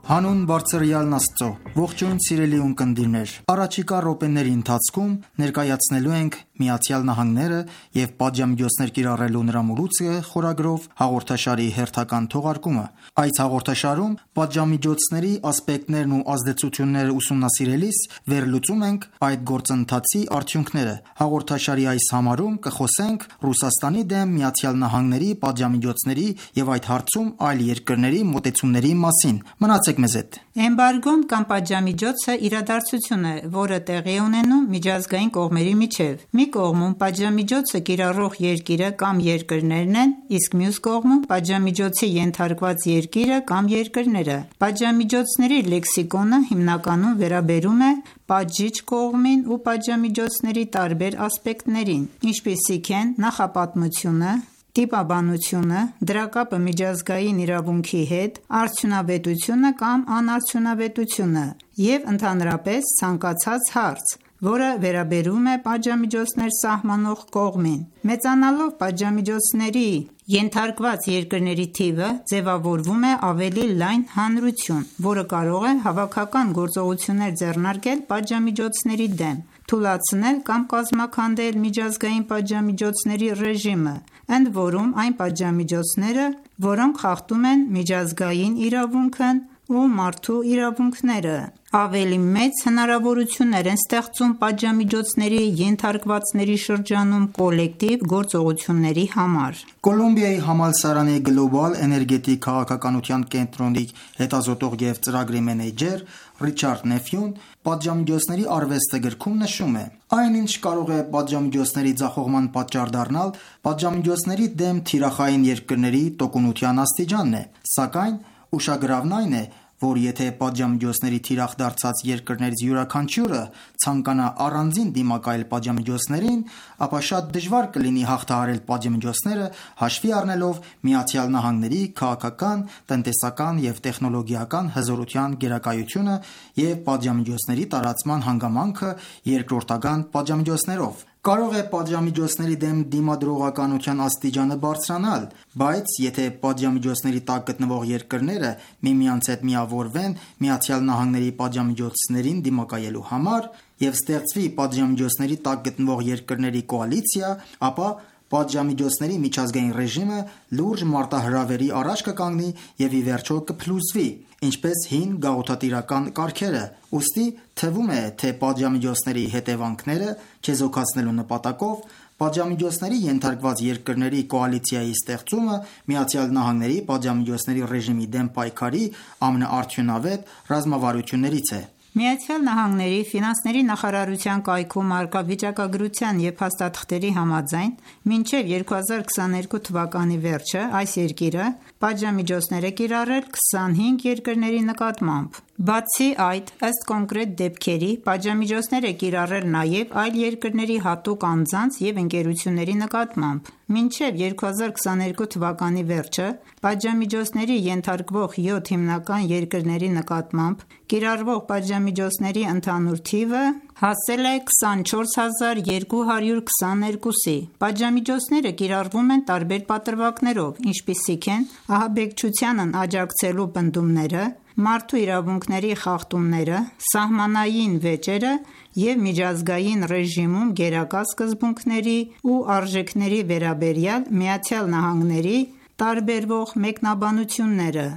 Հանուն բարձրյալն Աստծո, ողջույն սիրելի ունկնդիրներ, առաջիկա րոպեների ընթացքում ներկայացնելու ենք Միացյալ Նահանգները եւ պատժամիջոցներ կիրառելու նրա մոլուցքը խորագրով հաղորդաշարի հերթական թողարկումը։ Այս հաղորդաշարում պատժամիջոցների ասպեկտներն ու ազդեցությունները ուսումնասիրելիս վերլուծում ենք այդ գործընթացի արդյունքները։ Հաղորդաշարի այս համարում կխոսենք Ռուսաստանի դեմ Միացյալ Նահանգների պատժամիջոցների եւ այդ հարցում այլ երկրների մոտեցումների մասին։ Մնացեք մեզ հետ։ Էմբարգոն կամ պատժամիջոցը իրադարձություն է, որը տեղի է ունենում միջազգային կողմերի միջև։ Մի կողմում պատժամիջոցը կիրառող երկիրը կամ երկրներն են, իսկ մյուս կողմում պատժամիջոցի ենթարկված երկիրը կամ երկրները։ Պատժամիջոցների լեքսիկոնը հիմնականում վերաբերում է պատժիչ կողմին ու պատժամիջոցների տարբեր ասպեկտներին, ինչպիսիք են նախապատմությունը, տիպաբանությունը, դրա կապը միջազգային իրավունքի հետ, արդյունավետությունը կամ անարդյունավետությունը և ընդհանրապես ցանկացած հարց, որը վերաբերում է պատժամիջոցներ սահմանող կողմին։ Մեծանալով պատժամիջոցների ենթարկված երկրների թիվը, ձևավորվում է ավելի լայն հանրություն, որը կարող է հավաքական գործողություններ ձեռնարկել պատժամիջոցների դեմ։ թուլացնել կամ կազմաքանդել միջազգային պատժամիջոցների ռեժիմը, ընդ որում այն պատժամիջոցները, որոնք խախտում են միջազգային իրավունքն ու մարդու իրավունքները, ավելի մեծ հնարավորություններ են ստեղծում պատժամիջոցների ենթարկվածների շրջանում կոլեկտիվ գործողությունների համար։ Կոլումբիայի համալսարանի Global Energetic քաղաքականության կենտրոնի հետազոտող և ծրագրի մենեջեր Ռիչարդ Նեֆյուն պատժամիջոցների արվեստը գրքում նշում է. «Այն, ինչ կարող է պատժամիջոցների ձախողման պատճառ դառնալ, պատժամիջոցների դեմ թիրախային երկրների տոկունության աստիճանն է, սակայն ուշագրավն այն է, որ եթե պատժամիջոցների թիրախ դարձած երկրներից յուրաքանչյուրը ցանկանա առանձին դիմակայել պատժամիջոցներին, ապա շատ դժվար կլինի հաղթահարել պատժամիջոցները՝ հաշվի առնելով Միացյալ Նահանգների քաղաքական, տնտեսական և տեխնոլոգիական հզորության գերակայությունը և պատժամիջոցների տարածման հանգամանքը երկրորդական պատժամիջոցներով։ Կարող է պատժամիջոցների դեմ դիմադրողականության աստիճանը բարձրանալ, բայց եթե պատժամիջոցների տակ գտնվող երկրները միմյանց հետ միավորվեն Միացյալ Նահանգների պատժամիջոցներին դիմակայելու համար և ստեղծվի պատժամիջոցների տակ գտնվող երկրների կոալիցիա, ապա պատժամիջոցների միջազգային ռեժիմը լուրջ մարտահրավերի առաջ կկանգնի և ի վերջո կփլուզվի, ինչպես հին գաղութատիրական կարգերը։ Ուստի թվում է, թե պատժամիջոցների հետևանքները չեզոքացնելու նպատակով պատժամիջոցների ենթարկված երկրների կոալիցիայի ստեղծումը Միացյալ Նահանգների պատժամիջոցների ռեժիմի դեմ պայքարի ամենաարդյունավետ ռազմավարություններից է։ Միացյալ Նահանգների ֆինանսների նախարարության կայքում առկա վիճակագրության և փաստաթղթերի համաձայն, մինչև երկու հազար քսաներկու թվականի վերջը այս երկիրը պատժամիջոցներ է կիրառել քսանհինգ երկրների նկատմամբ։ Բացի այդ, ըստ կոնկրետ դեպքերի, պատժամիջոցներ է կիրառել նաև այլ երկրների հատուկ անձանց և ընկերությունների նկատմամբ։ Մինչև երկու հազար քսաներկու թվականի վերջը պատժամիջոցների ենթարկվող յոթ հիմնական երկրների նկատմամբ կիրառվող պատժամիջոցների ընդհանուր թիվը հասել է քսանչորս հազար երկու հարյուր քսաներկուսի։ Պատժամիջոցները կիրառվում են տարբեր պատրվակներով, ինչպիսիք են ահաբեկչությանն աջակցելու պնդումները, մարդու իրավունքների խախտումները, սահմանային վեճերը և միջազգային ռեժիմում գերակա սկզբունքների ու արժեքների վերաբերյալ Միացյալ Նահանգների տարբերվող մեկնաբանությունները։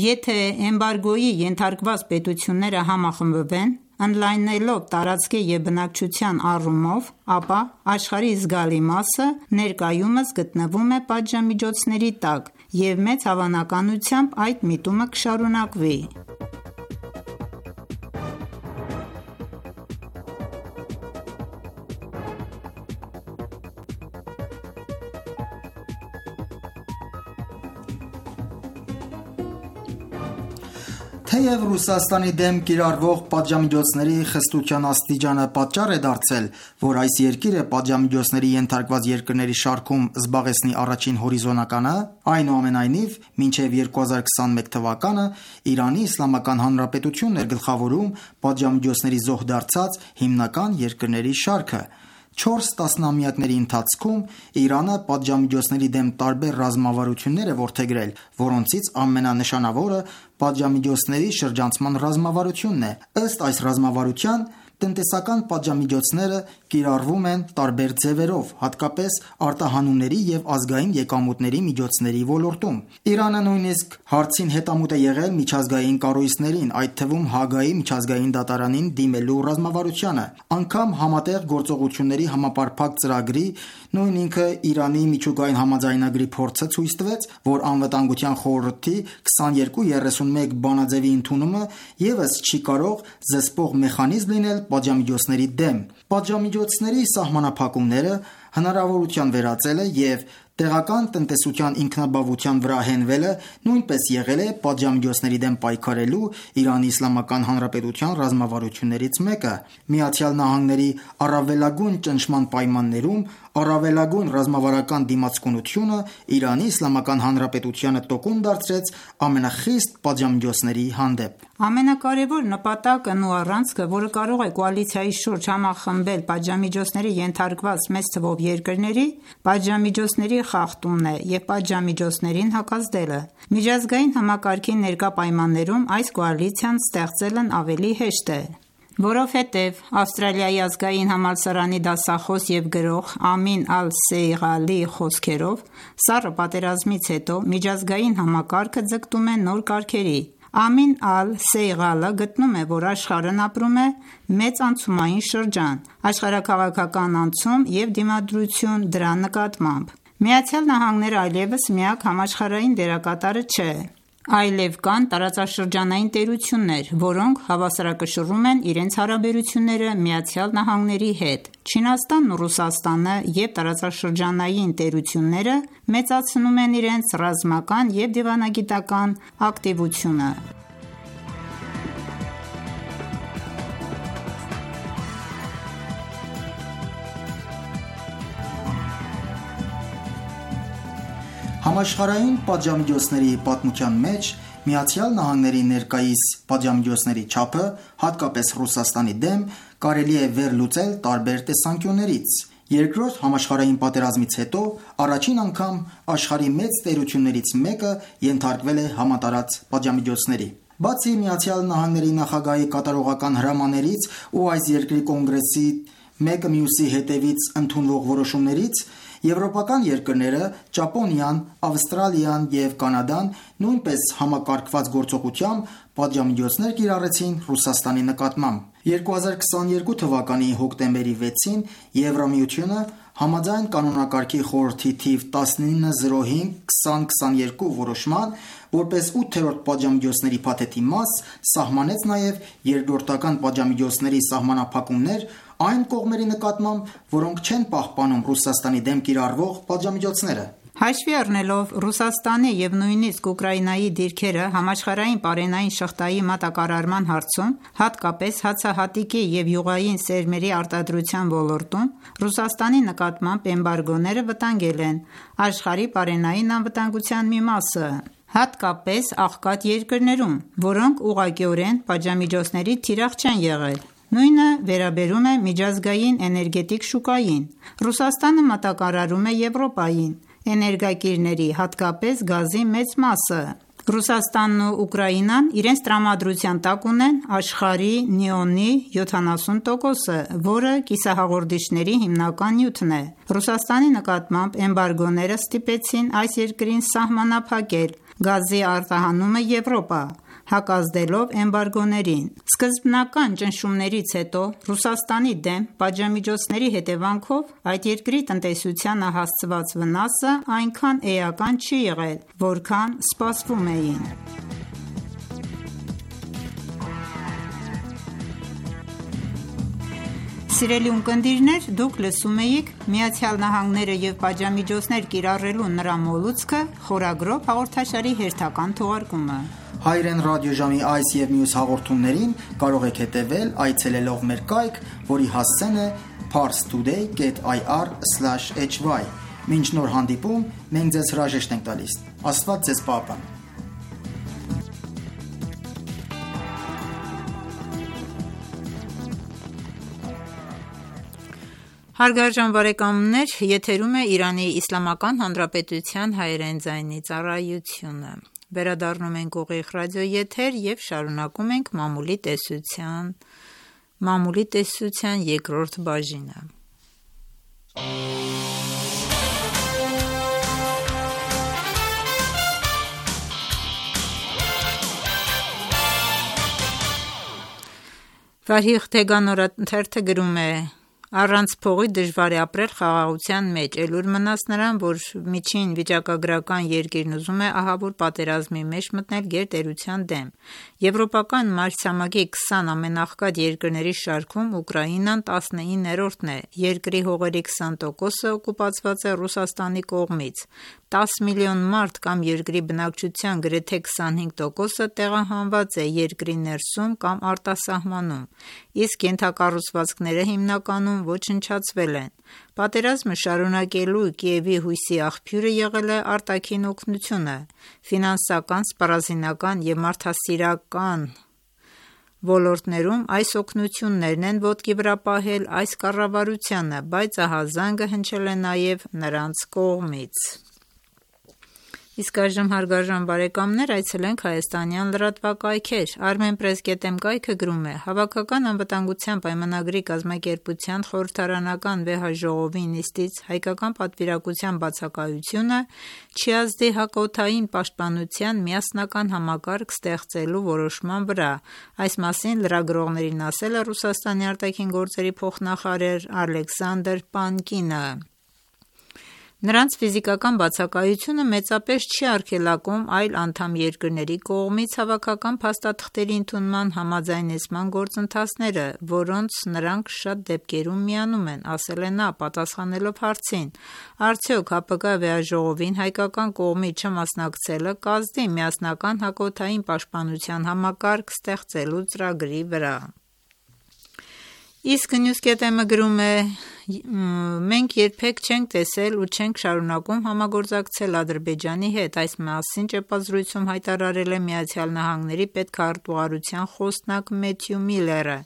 Եթե էմբարգոյի ենթարկված պետությունները համախմբվեն, ընդլայնելով տարածքի և բնակչության առումով, ապա աշխարհի զգալի մասը ներկայումս գտնվում է պատժամիջոցների տակ, և մեծ հավանականությամբ այդ միտումը կշարունակվի։ Թեև Ռուսաստանի դեմ կիրառվող պատժամիջոցների խստության աստիճանը պատճառ է դարձել, որ այս երկիրը պատժամիջոցների ենթարկված երկրների շարքում զբաղեցնի առաջին հորիզոնականը, այնուամենայնիվ, մինչև երկու հազար քսանմեկ թվականը Իրանի Իսլամական Հանրապետությունն էր գլխավորում պատժամիջոցների զոհ դարձած հիմնական երկրների շարքը։ Չորս տասնամյակների ընթացքում Իրանը պատժամիջոցների դեմ տարբեր ռազմավարություններ է որդեգրել, որոնցից ամենանշանավորը պատժամիջոցների շրջանցման ռազմավարությունն է։ Ըստ այս ռազմավարության, տնտեսական պատժամիջոցները կիրառվում են տարբեր ձևերով, հատկապես արտահանումների և ազգային եկամուտների միջոցների ոլորտում։ Իրանը նույնիսկ հարցին հետամուտ է եղել միջազգային կառույցներին, այդ թվում Հաագայի միջազգային դատարանին դիմելու ռազմավարությանը։ Անգամ Համատեղ գործողությունների համապարփակ ծրագրի, նույն ինքը Իրանի միջուկային համաձայնագրի փորձը ցույց տվեց, որ Անվտանգության խորհրդի քսաներկու երեսունմեկ բանաձևի ընդունումը ևս չի կարող զսպող մեխանիզմ լինել պատժամիջոցների դեմ։ Պատժամիջոցների սահմանափակումները, հնարավորության վերածելը և տեղական տնտեսության ինքնաբավության վրա հենվելը նույնպես եղել է պատժամիջոցների դեմ պայքարելու Իրանի Իսլամական Հանրապետության ռազմավարություններից մեկը։ Միացյալ Նահանգների առավելագույն ճնշման պայմաններում առավելագույն ռազմավարական դիմացկունությունը Իրանի Իսլամական Հանրապետությանը տոկուն դարձրեց ամենախիստ պատժամիջոցների հանդեպ։ Ամենակարևոր նպատակն ու առանցքը, որը կարող է կոալիցիայի շուրջ համախմբել պատժամիջոցների ենթարկված մեծ թվով երկրների, պատժամիջոցների խախտումն է և պատժամիջոցներին հակազդելը։ Միջազգային համակարգի ներկա պայմաններում այս կոալիցիան ստեղծելն ավելի հեշտ է։ Որովհետև Ավստրալիայի ազգային համալսարանի դասախոս և գրող Ամին Ալ-Սեյղալի խոսքերով, Սառը պատերազմից հետո միջազգային համակարգը ձգտում է նոր կարգերի։ Ամին Ալ-Սեյղալը գտնում է, որ աշխարհն ապրում է մեծ անցումային շրջան, աշխարհաքաղաքական անցում և դիմադրություն դրա նկատմամբ։ ԱՄՆ-ն այլևս միակ համաշխարհային դերակատարը չէ, այլև կան տարածաշրջանային տերություններ, որոնք հավասարակշռում են իրենց հարաբերությունները ԱՄՆ-ի հետ։ Չինաստանն ու Ռուսաստանը և տարածաշրջանային տերությունները մեծացնում են իրենց ռազմական և դիվանագիտական ակտիվությունը։ Համաշխարհային պատժամիջոցների պատմության մեջ ԱՄՆ-ի ներկայիս պատժամիջոցների չափը, հատկապես Ռուսաստանի դեմ, կարելի է վերլուծել տարբեր տեսանկյուններից։ Երկրորդ համաշխարհային պատերազմից հետո առաջին անգամ աշխարհի մեծ տերություններից մեկը ենթարկվել է համատարած պատժամիջոցների։ Բացի ԱՄՆ-ի նախագահի կատարողական հրամաներից ու այս երկրի կոնգրեսի մեկը մյուսի հետևից ընդունվող որոշումներից, եվրոպական երկրները՝ Ճապոնիան, Ավստրալիան և Կանադան, նույնպես համակարգված գործողությամբ պատժամիջոցներ կիրառեցին Ռուսաստանի նկատմամբ։ երկու հազար քսաներկու թվականի հոկտեմբերի վեցին Եվրամիությունը համաձայն կանոնակարգի խորհրդի թիվ տասնինը զրո հինգ քսան քսաներկու որոշման, որպես ութերորդ պատժամիջոցների փաթեթի մաս, սահմանեց նաև երկրորդական պատժամիջոցների սահմանափակումներ այն կողմերի նկատմամբ, որոնք չեն պահպանում Ռուսաստանի դեմ կիրառվող պատժամիջոցները։ Հաշվի առնելով Ռուսաստանի և նույնիսկ Ուկրաինայի դիրքերը համաշխարհային պարենային շղթայի մատակարարման հարցում, հատկապես հացահատիկի և յուղային սերմերի արտադրության ոլորտում, Ռուսաստանի նկատմամբ էմբարգոները վտանգել են աշխարհի պարենային անվտանգության մի մասը, հատկապես աղքատ երկրներում, որոնք ուղղակիորեն պատժամիջոցների թիրախ չեն եղել։ Նույնը վերաբերում է միջազգային էներգետիկ շուկային։ Ռուսաստանը մատակարարում է Եվրոպային էներգակիրների, հատկապես գազի մեծ մասը։ Ռուսաստանն ու Ուկրաինան իրենց տրամադրության տակ ունեն աշխարհի նեոնի յոթանասուն տոկոսը, որը կիսահաղորդիչների հիմնական նյութն է։ Ռուսաստանի նկատմամբ էմբարգոները ստիպեցին այս երկրին սահմանափակել գազի արտահանումը Եվրոպա, հակազդելով էմբարգոներին։ Սկզբնական ճնշումներից հետո Ռուսաստանի դեմ պատժամիջոցների հետևանքով այդ երկրի տնտեսությանը հասցված վնասը այնքան էական չի եղել, որքան սպասվում էին։ Սիրելի ունկնդիրներ, դուք լսում էիք «ԱՄՆ-ը և պատժամիջոցներ կիրառելու նրա մոլուցքը» խորագրով հաղորդաշարի հերթական թողարկումը։ Հայրեն ռադիոժամի այս և մյուս հաղորդումներին կարող եք հետևել այցելելով մեր կայք, որի հասցեն է parstoday dot i r slash h y։ Մինչ նոր հանդիպում, մենք ձեզ հրաժեշտ ենք տալիս։ Աստված ձեզ պահապան։ Հարգարժան բարեկամներ, եթերում է Իրանի Իսլամական Հանրապետության հայերեն ձայնի ծառայությունը։ Վերադառնում ենք ուղիղ ռադիոեթեր և շարունակում ենք մամուլի տեսության, մամուլի տեսության երկրորդ բաժինը։ Վարիղ Թեգան օրաթերթը գրում է. Առանց փողի դժվար է ապրել խաղաղության մեջ, էլուր մնաց նրան, որ միջին վիճակագրական երկիրն ուզում է ահավոր պատերազմի մեջ մտնել գերտերության դեմ։ Եվրոպական մայրցամաքի քսան ամենաղքատ երկրների շարքում Ուկրաինան տասնիններորդն է, երկրի հողերի քսան տոկոսը օկուպացված է Ռուսաստանի կողմից, տասը միլիոն մարդ կամ երկրի բնակչության գրեթե քսանհինգ տոկոսը տեղահանված է երկրի ներսում կամ արտասահմանում, իսկ ենթակառուցվածքները հիմնականում ոչնչացվել են։ Պատերազմը շարունակելու Կիևի հույսի աղբյուրը եղել է արտաքին օգնությունը, ֆինանսական, սպառազինական և մարդասիրական ոլորտներում այս օգնություններն են ոտքի վրա պահել այս կառավարությանը, բայց ահազանգը հնչել է նաև նրանց կողմից։ Իսկ այժմ հարգարժան բարեկամներ այցելենք հայաստանյան լրատվակայքեր։ Armenpress dot am կայքը գրում է. Հավաքական անվտանգության պայմանագրի կազմակերպության խորհրդարանական վեհաժողովի նիստից հայկական պատվիրակության բացակայությունը չի ազդի հակօդային պաշտպանության միասնական համակարգ ստեղծելու որոշման վրա։ Այս մասին լրագրողներին ասել է Ռուսաստանի արտաքին գործերի փոխնախարար Ալեքսանդր Պանկինը։ Նրանց ֆիզիկական բացակայությունը մեծապես չի արգելակում այլ անդամ երկրների կողմից հավաքական փաստաթղթերի ընդունման համաձայնեցման գործընթացները, որոնց նրանք շատ դեպքերում միանում են, ասել է նա, պատասխանելով հարցին. Արդյոք ՀԱՊԿ վեհաժողովին հայկական կողմի չմասնակցելը կազդի միասնական հակօդային պաշտպանության համակարգ ստեղծելու ծրագրի վրա։ Իսկ News dot am-ը գրում է. Մենք երբեք չենք տեսել ու չենք շարունակում համագործակցել Ադրբեջանի հետ, այս մասին ճեպազրույցում հայտարարել է Միացյալ Նահանգների պետքարտուղարության խոսնակ Մեթյու Միլլերը։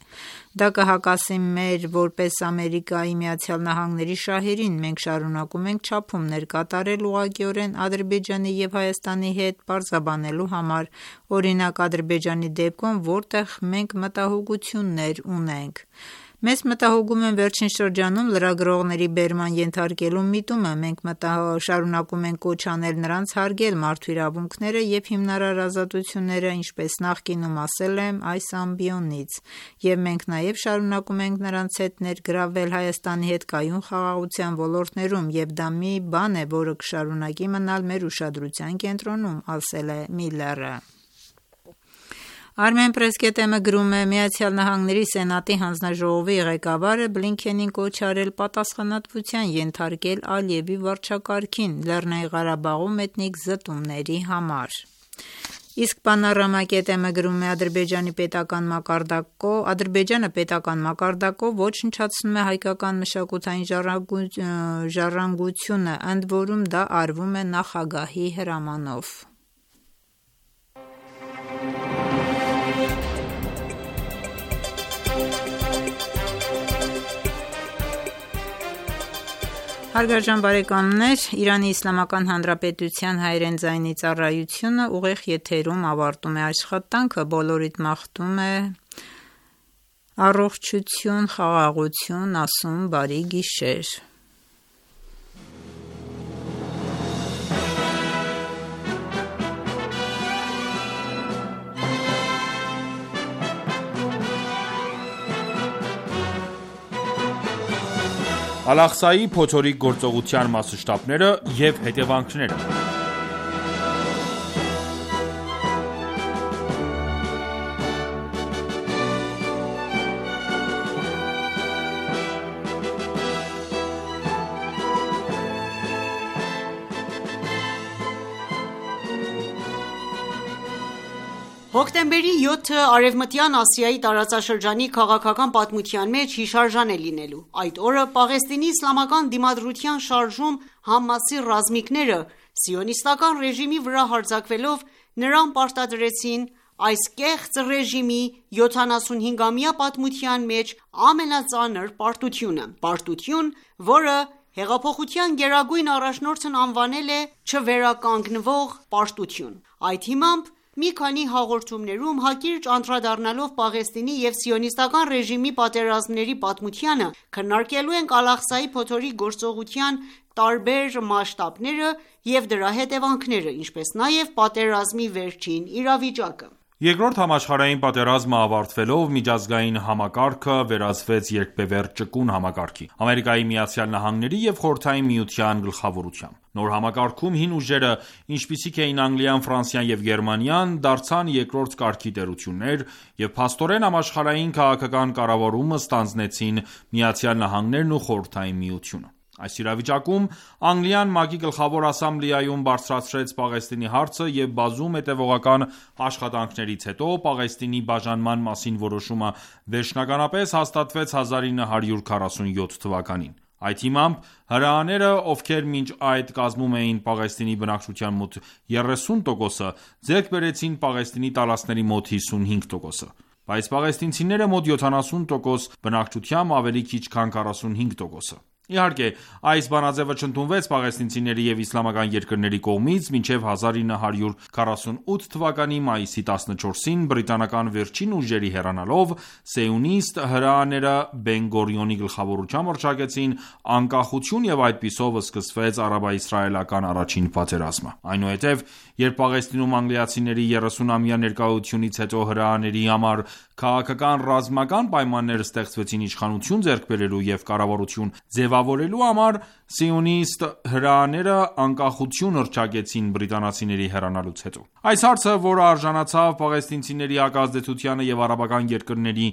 Դա կհակասի մեր որպես Ամերիկայի Միացյալ Նահանգների շահերին, մենք շարունակում ենք չափումներ կատարել ուղղակիորեն Ադրբեջանի և Հայաստանի հետ պարզաբանելու համար, օրինակ Ադրբեջանի դեպքում, որտեղ մենք մտահոգություններ ունենք։ Մեզ մտահոգում են վերջին շրջանում լրագրողների բերման ենթարկելու միտումը, մենք շարունակում ենք կոչ անել նրանց հարգել մարդու իրավունքները և հիմնարար ազատությունները, ինչպես նախկինում ասել եմ այս ամբիոնից, և մենք նաև շարունակում ենք նրանց հետ ներգրավել Հայաստանի հետ կայուն խաղաղության ոլորտներում, և դա մի բան է, որը կշարունակի մնալ մեր ուշադրության կենտրոնում, ասել է Միլլերը։ Armenpress dot am-ը գրում է. Միացյալ Նահանգների Սենատի հանձնաժողովի ղեկավարը Բլինքենին կոչ արել պատասխանատվության ենթարկել Ալիևի վարչակարգին Լեռնային Ղարաբաղում էթնիկ զտումների համար։ Իսկ Panorama dot am-ը գրում է. Ադրբեջանի պետական մակարդակով Ադրբեջանը պետական մակարդակով ոչնչացնում է հայկական մշակութային ժառանգությունը, ընդ որում դա արվում է նախագահի հրամանով։ Հարգարժան բարեկամներ, Իրանի Իսլամական Հանրապետության հայերեն ձայնի ծառայությունը ուղիղ եթերում ավարտում է աշխատանքը, բոլորիդ մաղթում է առողջություն, խաղաղություն, ասում բարի գիշեր։ Ալ-Աղսայի փոթորիկ գործողության մասշտաբները և հետևանքները Հոկտեմբերի յոթը Արևմտյան Ասիայի տարածաշրջանի քաղաքական պատմության մեջ հիշարժան է լինելու: Այդ օրը Պաղեստինի իսլամական դիմադրության շարժում Համասի ռազմիկները սիոնիստական ռեժիմի վրա հարձակվելով նրան պարտադրեցին այս կեղծ ռեժիմի յոթանասունհինգամյա պատմության մեջ ամենածանր պարտությունը: Պարտություն, որը հեղափոխության գերագույն առաջնորդն անվանել է չվերականգնվող պարտություն: Այդ հիմամբ մի քանի հաղորդումներում հակիրճ անդրադառնալով Պաղեստինի և սիոնիստական ռեժիմի պատերազմների պատմությանը, քննարկելու ենք Ալ-Աղսայի փոթորիկ գործողության տարբեր մասշտաբները և դրա հետևանքները, ինչպես նաև պատերազմի վերջին իրավիճակը: Երկրորդ համաշխարհային պատերազմը ավարտվելով միջազգային համակարգը վերածվեց երկբևեռ ճկուն համակարգի՝ Ամերիկայի Միացյալ Նահանգների և Խորհրդային Միության գլխավորությամբ: Նոր համակարգում հին ուժերը, ինչպիսիք էին Անգլիան, Ֆրանսիան և Գերմանիան, դարձան երկրորդ կարգի տերություններ և փաստորեն համաշխարհային քաղաքական կառավարումը ստանձնեցին Միացյալ Նահանգներն ու Խորհրդային Միությունը: Այս իրավիճակում Անգլիան ՄԱԿ-ի Գլխավոր ասամբլեայում բարձրացրեց Պաղեստինի հարցը և բազում հետևողական աշխատանքներից հետո Պաղեստինի բաժանման մասին որոշումը վերջնականապես հաստատվեց հազար ինը հարյուր քառասունյոթ թվականին: Այդ հիմամբ հրեաները, ովքեր մինչ այդ կազմում էին Պաղեստինի բնակչության մոտ երեսուն տոկոսը, ձեռք բերեցին Պաղեստինի տարածքների մոտ հիսունհինգ տոկոսը: Բայց պաղեստինցիները մոտ յոթանասուն տոկոս բնակչությամբ ավելի քիչ քան քառասունհինգ տոկոսը: Իհարկե, այս բանաձևը չընդունվեց պաղեստինցիների և իսլամական երկրների կողմից մինչև հազար ինը հարյուր քառասունութ թվականի մայիսի տասնչորսին բրիտանական վերջին ուժերի հեռանալով, սիոնիստ հրեաները Բեն-Գորիոնի գլխավորությամբ հռչակեցին անկախություն և այդպիսով սկսվեց արաբա-իսրայելական առաջին պատերազմը: Այնուհետև, երբ Պաղեստինում անգլիացիների երեսունամյա ներկայությունից հետո հրեաների համար քաղաքական-ռազմական պայմաններ ստեղծվեցին իշխանություն ձեռք բերելու և կառավարություն ձևավորելու համար, սիոնիստ հրեաները անկախություն հռչակեցին բրիտանացիների հեռանալուց հետո: Այս հարցը, որը արժանացավ պաղեստինցիների հակազդեցությանը և արաբական երկրների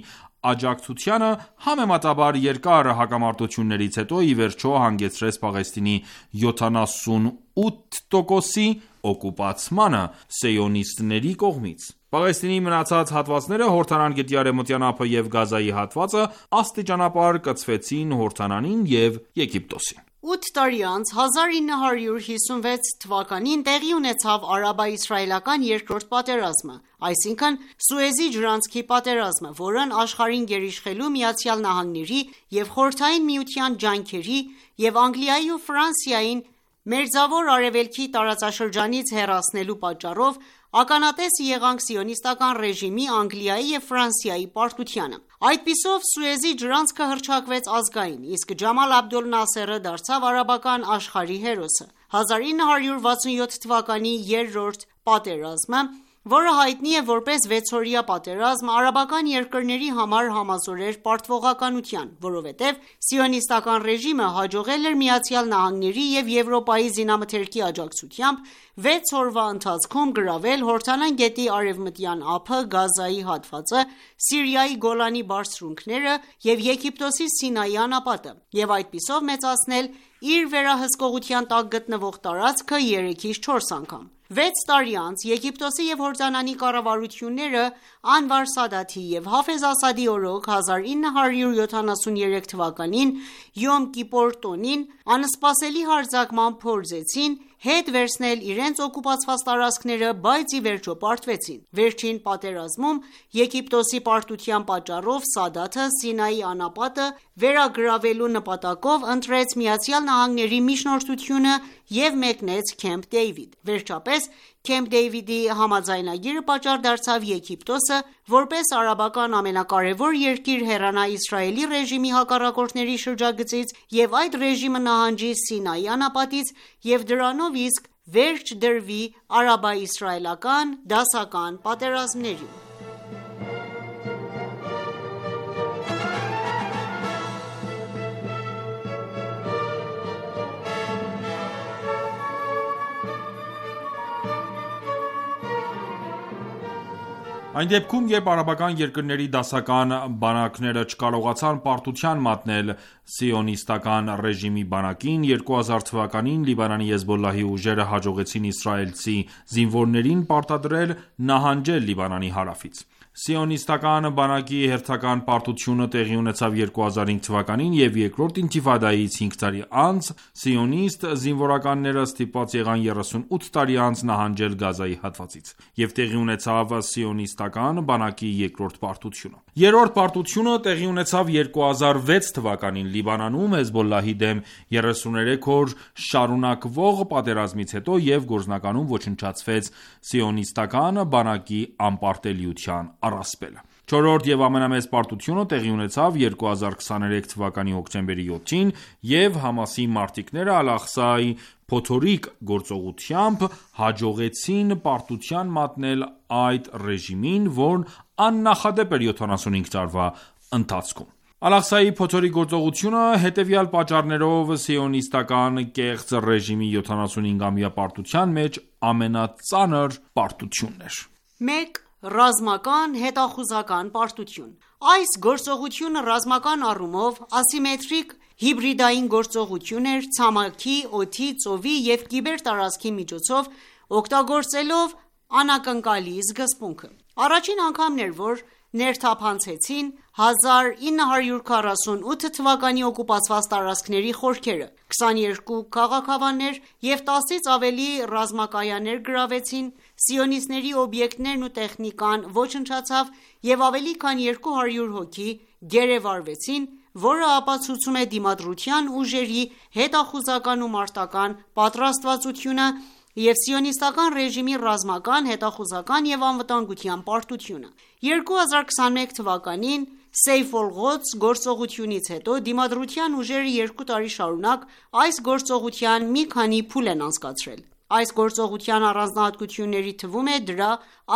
աջակցությանը, համեմատաբար երկար հակամարտություններից հետո ի վերջո հանգեցրեց Պաղեստինի յոթանասունութ տոկոսի օկուպացմանը սիոնիստների կողմից: Պաղեստինի մնացած հատվածները, Հորդանան գետի արևմտյան ափը և Գազայի հատվածը աստիճանաբար կցվեցին Հորդանանին և Եգիպտոսին: Ութ տարի անց հազար ինը հարյուր հիսունվեց թվականին տեղի ունեցավ արաբա-իսրայելական երկրորդ պատերազմը, այսինքն Սուեզի ջրանցքի պատերազմը, որն աշխարհին գերիշխելու ԱՄՆ-ի և Խորհրդային Միության ջանքերի և Անգլիայի ու Ֆրանսիային Մերձավոր Արևելքի տարածաշրջանից հեռացնելու պատճառով ականատես եղանք սիոնիստական ռեժիմի, Անգլիայի և Ֆրանսիայի պարտությանը: Այդպիսով Սուեզի ջրանցքը հռչակվեց ազգային, իսկ Ջամալ Աբդոլ Նասերը դարձավ արաբական աշխարհի հերոսը: հազար ինը հարյուր վաթսունյոթ թվականի երրորդ պատերազմը, որը հայտնի է որպես վեցօրյա պատերազմ, արաբական երկրների համար համազոր էր պարտվողականության, որովհետև սիոնիստական ռեժիմը հաջողել էր ԱՄՆ-ի և Եվրոպայի զինամթերքի աջակցությամբ վեց օրվա ընթացքում գրավել Հորդանան գետի արևմտյան ափը, Գազայի հատվածը, Սիրիայի Գոլանի բարձունքները և Եգիպտոսի Սինայի անապատը և այդպիսով մեծացնել իր վերահսկողության տակ գտնվող տարածքը երեքից չորս անգամ: Վեց տարի անց Եգիպտոսի և Հորդանանի կառավարությունները Անվար Սադաթի և Հաֆեզ Ասադի օրոք հազար ինը հարյուր յոթանասուներեք թվականին Յոմ Կիպոր տոնին անսպասելի հարձակմամբ փորձեցին հետ վերցնել իրենց օկուպացված տարածքները, բայց ի վերջո պարտվեցին: Վերջին պատերազմում Եգիպտոսի պարտության պատճառով Սադաթը Սինայի անապատը վերագրավելու նպատակով ընտրեց ԱՄՆ-ի միջնորդությունը և մեկնեց Քեմփ Դեյվիդ: Վերջապես Քեմփ Դեյվիդի համաձայնագիրը պատճառ դարձավ Եգիպտոսը, որպես արաբական ամենակարևոր երկիր հեռանա Իսրայելի ռեժիմի հակառակորդների շրջագծից և այդ ռեժիմը նահանջի Սինայի անապատից և դրանով իսկ վերջ դրվի արաբա-իսրայելական դասական պատերազմներին: Այն դեպքում, երբ արաբական երկրների դասական բանակները չկարողացան պարտության մատնել սիոնիստական ռեժիմի բանակին, երկու հազար թվականին Լիբանանի Հեզբոլլահի ուժերը հաջողեցին իսրայելցի զինվորներին պարտադրել նահանջել Լիբանանի հարավից: Սիոնիստական բանակի հերթական պարտությունը տեղի ունեցավ երկու հազար հինգ թվականին և երկրորդ ինթիֆադայից հինգ տարի անց սիոնիստ զինվորականները ստիպված եղան երեսունութ տարի անց նահանջել Գազայի հատվածից և տեղի ունեցավ սիոնիստական բանակի երկրորդ պարտությունը: Երրորդ պարտությունը տեղի ունեցավ երկու հազար վեց թվականին Լիբանանում Հեզբոլլահի դեմ երեսուներեք օր շարունակվող պատերազմից հետո և գործնականում ոչնչացվեց սիոնիստական բանակի անպարտելիության առասպելը: Չորրորդ և ամենամեծ պարտությունը տեղի ունեցավ երկու հազար քսաներեք թվականի հոկտեմբերի յոթին և Համասի մարտիկները Ալ-Աղսայի փոթորիկ գործողությամբ հաջողեցին պարտության մատնել այդ ռեժիմին, որն աննախադեպ էր յոթանասունհինգ տարվա ընթացքում: Ալ-Աղսայի փոթորիկ գործողությունը հետևյալ պատճառներով սիոնիստական կեղծ ռեժիմի յոթանասունհինգամյա պարտության մեջ ամենածանր պարտությունն էր: մեկ. Ռազմական հետախուզական պարտություն Այս գործողությունը ռազմական առումով ասիմետրիկ հիբրիդային գործողություն էր ցամաքի, օդի, ծովի և կիբերտարածքի միջոցով օգտագործելով անակնկալի սկզբունքը: Առաջին անգամն էր, որ ներթափանցեցին հազար ինը հարյուր քառասունութ թվականի օկուպացված տարածքների խորքերը, քսաներկու քաղաքավաններ և տասից ավելի ռազմակայաններ գրավվեցին, սիոնիստների օբյեկտներն ու տեխնիկան ոչնչացավ և ավելի քան երկու հարյուր հոգի գերեվարվեցին, որը ապացուցում է դիմադրության ուժերի հետախուզական ու մարտական պատրաստվածությունը և սիոնիստական ռեժիմի ռազմական, հետախուզական և անվտանգության պարտությունը: երկու հազար քսաներեք թվականին Սեյֆ ալ-Ղոդս գործողությունից հետո Դիմադրության ուժերը երկու տարի շարունակ այս գործողության մի քանի փուլ են անցկացրել: Այս գործողության առանձնահատկությունների թվում է դրա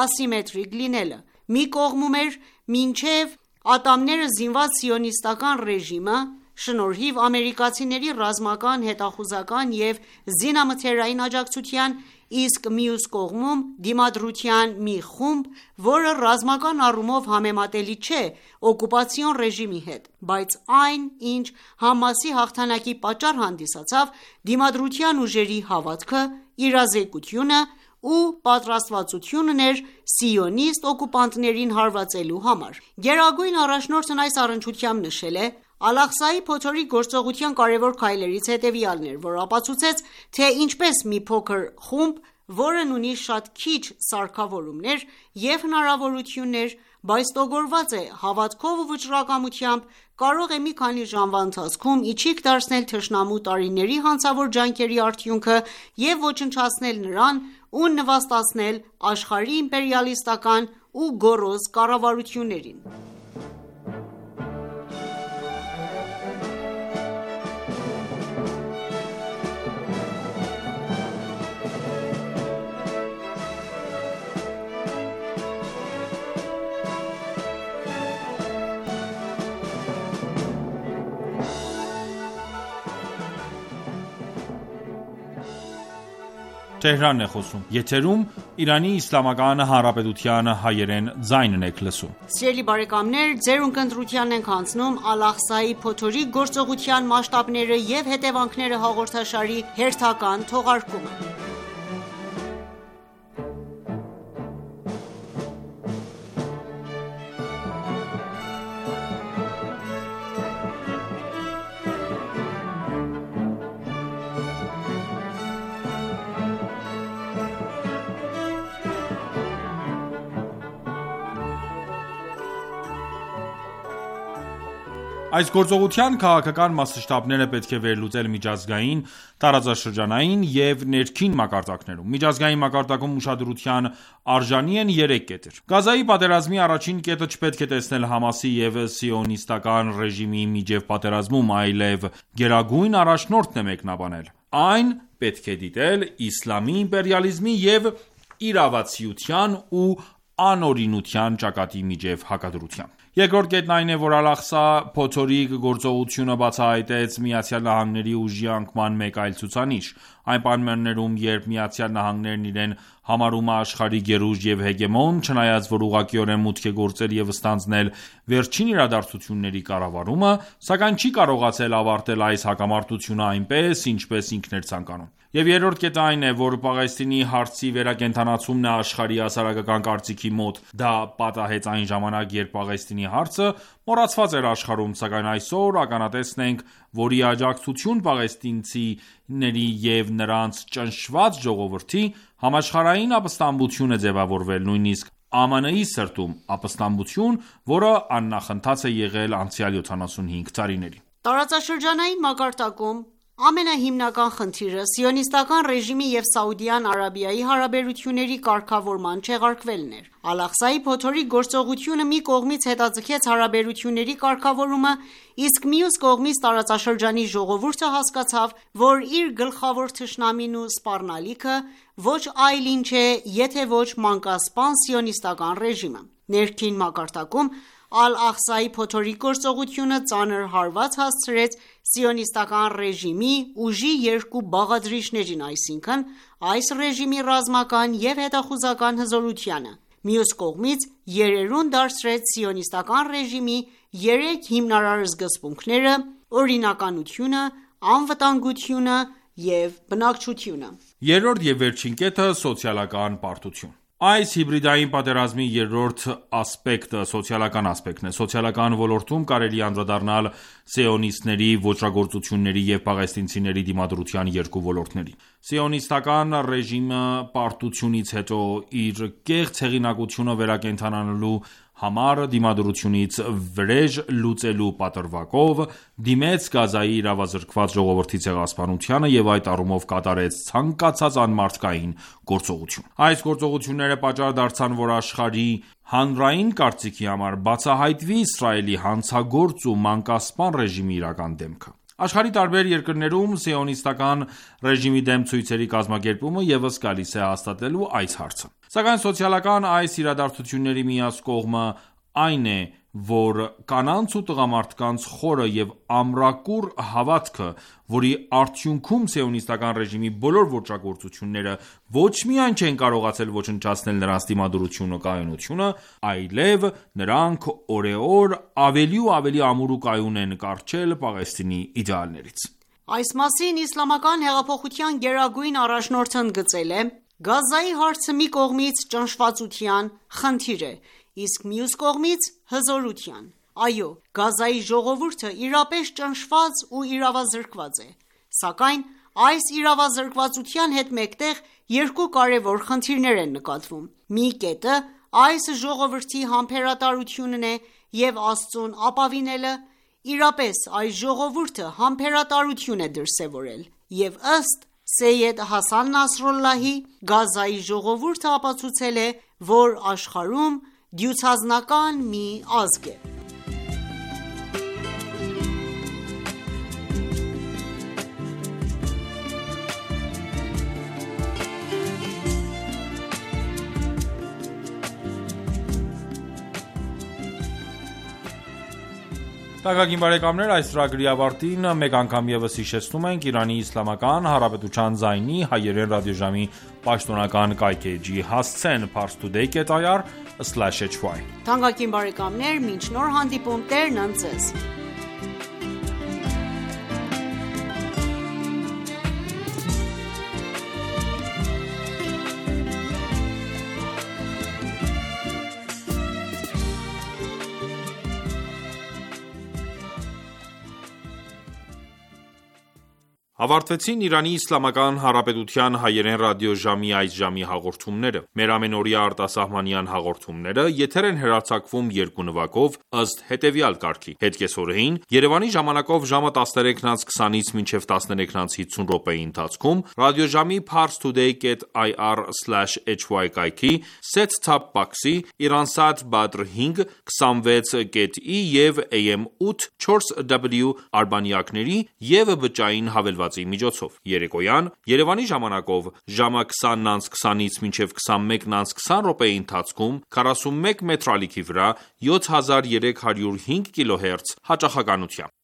ասիմետրիկ լինելը: Մի կողմում էր մինչև ատամները զինված սիոնիստական ռեժիմը, շնորհիվ ամերիկացիների ռազմական, հետախուզական և զինամթերային աջակցության, իսկ մյուս կողմում Դիմադրության մի խումբ, որը ռազմական առումով համեմատելի չէ օկուպացիոն ռեժիմի հետ, բայց այն, ինչ ՀԱՄԱՍ-ի հաղթանակի պատճառ հանդիսացավ Դիմադրության ուժերի հավատքը, իրազեկությունը ու պատրաստվածությունն էր սիոնիստ օկուպանտներին հարվածելու համար: Գերագույն առաջնորդն այս առնչությամբ նշել է. «Ալ-Աղսայի փոթորիկ գործողության կարևոր քայլերից հետևյալն էր, որ ապացուցեց, թե ինչպես մի փոքր խումբ, որն ունի շատ քիչ սարքավորումներ և հնարավորություններ, բայց տոգորված է հավատքով ու վճռակամությամբ, կարող է մի քանի ժամվա ընթացքում իչիք դարձնել թշնամու տարիների հանցավոր ջանքերի արդյունքը և ոչնչացնել նրան ու նվաստացնել աշխարհի իմպերիալիստական ու գոռոզ կառավարություններին»: Այս գործողության քաղաքական մասշտաբները պետք է վերլուծել միջազգային, տարածաշրջանային և ներքին մակարդակներում: Միջազգային մակարդակում ուշադրության արժանի են երեք կետեր: Գազայի պատերազմի առաջին կետը չպետք է տեսնել ՀԱՄԱՍ-ի և սիոնիստական ռեժիմի միջև պատերազմում, այլև Գերագույն առաջնորդն է մեկնաբանել: Այն պետք է դիտել իսլամի իմպերիալիզմի և իրավացիության ու անօրինության ճակատի միջև հակադրությամբ: Երկրորդ կետն այն է, որ Ալ-Աղսա փոթորիկ գործողությունը բացահայտեց ԱՄՆ-ի ուժի անկման մեկ այլ ցուցանիշ: Այն պայմաններում, երբ ԱՄՆ-ն իրեն համարում է աշխարհի գերուժ և հեգեմոն, չնայած որ ուղղակիորեն մուտք է գործել և ստանձնել վերջին իրադարձությունների կառավարումը, սակայն չի կարողացել ավարտել այս հակամարտությունը այնպես, ինչպես ինքն էր ցանկանում: Եվ երրորդ կետը այն է, որ Պաղեստինի հարցի վերակենդանացումն է աշխարհի հասարակական կարծիքի մոտ: Դա պատահեց այն ժամանակ, երբ Պաղեստինի հարցը մոռացված էր աշխարհում, սակայն այսօր ականատեսն ենք, որ ի աջակցություն պաղեստինցիների և նրանց ճնշված ժողովրդի, համաշխարհային ապստամբություն է ձևավորվել, նույնիսկ ԱՄՆ-ի սրտում, ապստամբություն, որը աննախընթաց է եղել անցյալ յոթանասունհինգ տարիներին: Տարածաշրջանային մակարդակում ամենահիմնական խնդիրը սիոնիստական ռեժիմի և Սաուդյան Արաբիայի հարաբերությունների կարգավորման չեղարկվելն էր: Ալ-Աղսայի փոթորիկ գործողությունը մի կողմից հետաձգեց հարաբերությունների կարգավորումը, իսկ մյուս կողմից տարածաշրջանի ժողովուրդը հասկացավ, որ իր գլխավոր թշնամին ու սպառնալիքը ոչ այլ ինչ է, եթե ոչ մանկասպան սիոնիստական ռեժիմը: Ներքին մակարդակում Ալ-Աղսայի փոթորիկ գործողությունը ծանր հարված հասցրեց սիոնիստական ռեժիմի ուժի երկու բաղադրիչներին, այսինքն այս ռեժիմի ռազմական և հետախուզական հզորությանը: Մյուս կողմից երերուն դարձրեց սիոնիստական ռեժիմի երեք հիմնարար սկզբունքները՝ օրինականությունը, անվտանգությունը և բնակչությունը: Երրորդ և վերջին կետը՝ սոցիալական պարտություն: Այս հիբրիդային պատերազմի երրորդ ասպեկտը սոցիալական ասպեկտն է: Սոցիալական ոլորտում կարելի է անդրադառնալ սիոնիստների ոճրագործությունների և պաղեստինցիների դիմադրության երկու ոլորտների: Սիոնիստական ռեժիմը պարտությունից հետո իր կեղծ հեղինակությունը վերակենդանանալու համար դիմադրությունից վրեժ լուծելու պատրվակով դիմեց Գազայի իրավազրկված ժողովրդի ցեղասպանությանը և այդ առումով կատարեց ցանկացած անմարդկային գործողություն։ Այս գործողությունները պատճառ դարձան, որ աշխարհի հանրային կարծիքի համար բացահայտվի Իսրայելի հանցագործ ու մանկասպան ռեժիմի իրական դեմքը։ Աշխարհի տարբեր երկրներում սիոնիստական ռեժիմի դեմ ցույցերի կազմակերպումը ևս գալիս է հաստատելու այս հարցը։ Սակայն սոցիալական այս իրադարձությունների միակ կողմը այն է, որ կանանց ու տղամարդկանց խորը և ամրակուռ հավատքը, որի արդյունքում սիոնիստական ռեժիմի բոլոր ոճրագործությունները ոչ միայն չեն կարողացել ոչնչացնել նրանց դիմադրությունը ու կայունությունը, այլև նրանք օրեօր ավելի ու ավելի ամուր ու կայուն են կառչել Պաղեստինի իդեալներից։ Այս մասին Իսլամական հեղափոխության գերագույն առաջնորդը ընդգծել է. «Գազայի հարցը մի կողմից ճնշվածության խնդիր է, իսկ մյուս կողմից հզորության։ Այո, Գազայի ժողովուրդը իրապես ճնշված ու իրավազրկված է, սակայն այս իրավազրկվածության հետ մեկտեղ երկու կարևոր խնդիրներ են նկատվում։ Մի կետը այս ժողովրդի համբերատարությունն է և Աստծուն ապավինելը, իրապես այս ժողովուրդը համբերատարություն է դրսևորել, և ըստ Սեյեդ Հասան Նասրալլահի, Գազայի ժողովուրդը ապացուցել է, որ աշխարհում դյուցազնական մի ազգ է»։ Թանկագին բարեկամներ, այս ծրագրի ավարտին մեկ անգամ ևս հիշեցնում ենք Իրանի Իսլամական Հանրապետության ձայնի հայերեն ռադիոժամի պաշտոնական կայքէջի հասցեն parstoday dot i r slash h y։ Թանկագին բարեկամներ, մինչ նոր հանդիպում, Տերն ընդ ձեզ։ Ավարտվեցին Իրանի Իսլամական Հանրապետության հայերեն ռադիոժամի այս ժամի հաղորդումները։ Մեր ամենօրյա արտասահմանյան հաղորդումները եթեր են հեռարձակվում երկու նվագով ըստ հետևյալ կարգի՝ հետկեսօրեին Երևանի ժամանակով ժամը տասներեքից քսանից մինչև տասներեքից հիսուն րոպեի ընթացքում ռադիոժամի parstoday dot i r slash h y կայքի set-top box-ի Iransat Badr հինգ քսանվեց dot i և A M ութ չորս W արբանյակների և բջջային հավելվածի միջոցով։ Երեկոյան Երևանի ժամանակով ժամը քսանից քսանից մինչև քսանմեկից քսան րոպեի ընթացքում քառասունմեկ մետրալիքի վրա յոթ հազար երեք հարյուր հինգ կիլոհերց հաճախականությամբ։